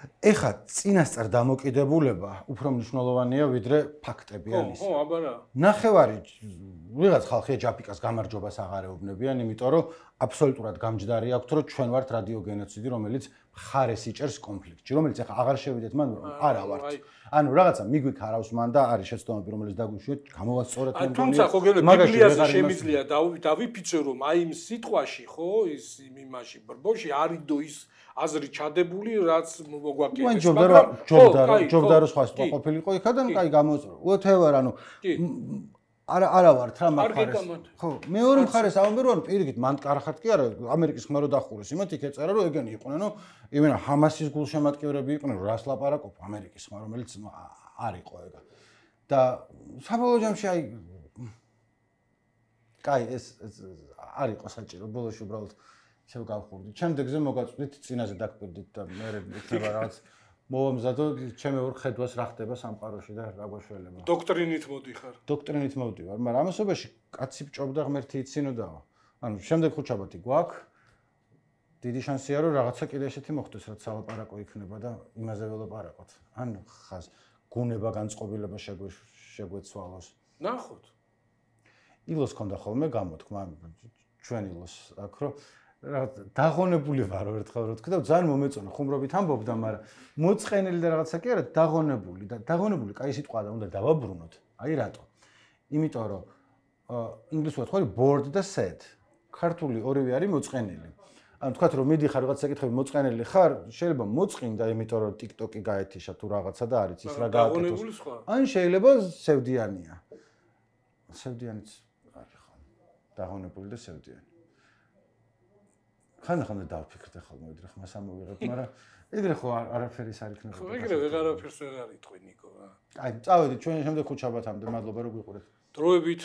ეხა წინასწარ დამოკიდებულება უფრო მნიშვნელოვანია ვიდრე ფაქტები არის. ხო, აბა რა. ნახევარი ვიღაც ხალხია ჯაფიკას გამარჯვებას აღარ ეუბნებიან, იმიტომ რომ აბსოლუტურად გამჯდარი აქვთ, რომ ჩვენ ვართ რადიოგენოციდი, რომელიც მხარეს იჭერს კონფლიქტში, რომელიც ეხა აღარ შევიდეთ მან, არა ვართ. ანუ რაღაცა მიგვიქ არავს მან და არის შეცდომები, რომელიც დაგვიშვიეთ, გამოვასწორეთ მე. თუმცა ხო გეუბნები, ბიბლიაზე შემიძლია დავიფიცო, რომ აი იმ სიტყვაში, ხო, ის იმაში ბრბოში არიდო ის აზრი ჩადებული, რაც მოგვაკეთებს. მაგრამ ჯობდა ჯობდა ჯობდა რომ სხვა სიტყვა ყოფილიყო იქა და კაი გამოწრო. whatever, ანუ არა არა ვართ რა მაგარეს. ხო, მეორე მხარეს ამბობ რომ პირიქით მან კარხად კი არა, ამერიკის ხმა რო დახურეს, იმათ იქ ეწერა რომ ეგენი იყვნენ, რომ იმენა ჰამასის გულშემატკივრები იყვნენ, რომ რას ლაპარაკობ ამერიკის ხმა, რომელიც არ იყო ეგა. და საბოლოო ჯამში აი კაი ეს არ იყო საჭირო, ბოლოში უბრალოდ ისევ გავხურდით. შემდეგზე მოგაწვდით წინაზე დაგკვირდით და მე იქნება რაღაც მოვამზადო ჩემი ორ ხედვას რა ხდება სამყაროში და რა გვაშველება. დოქტრინით მოდიხარ. დოქტრინით მოვდივარ, მაგრამ ამასობაში კაცი ბჭობდა ღმერთი იცინოდაო. ანუ შემდეგ ხუთშაბათი გვაქვს. დიდი შანსია რომ რაღაცა კიდე ესეთი მოხდეს, რაც სალაპარაკო იქნება და იმაზე ველაპარაკოთ. ან ხას გუნება განწყობილება შეგვეცვალოს. ნახოთ. ილოს ქონდა ხოლმე გამოთქმა ჩვენ ილოს აქ რომ დაღონებული ვარ ერთხელ რო თქვი და ძალიან მომეწონა ხუმრობით ამბობდა, მაგრამ მოწყენილი და რაღაცა კი არა, დაღონებული და დაღონებული კაი სიტყვაა და უნდა დავაბრუნოთ. აი რატო? იმიტომ რომ ინგლისურად ხო არის bored და sad. ქართული ორივე არის მოწყენილი. ანუ თქვათ რომ მიდიხარ რაღაცა კითხები მოწყენილი ხარ, შეიძლება მოწყინდა, იმიტომ რომ TikTok-ი გაეთიშა თუ რაღაცა და არის ის რა გააკეთოს. ან შეიძლება სევდიანია. სევდიანიც არის ხო. დაღონებული და სევდიანი. ხანდახან დავფიქრდე ხოლმე, ვიდრე ხმას ამოვიღებ, მაგრამ ეგრე ხო არაფერი არ იქნება. ხო, ეგრე ვეღარაფერს ვეღარ იტყვი ნიკო რა. აი, წავედით ჩვენ შემდეგ ხუთშაბათამდე, მადლობა რომ გვიყურეთ. დროებით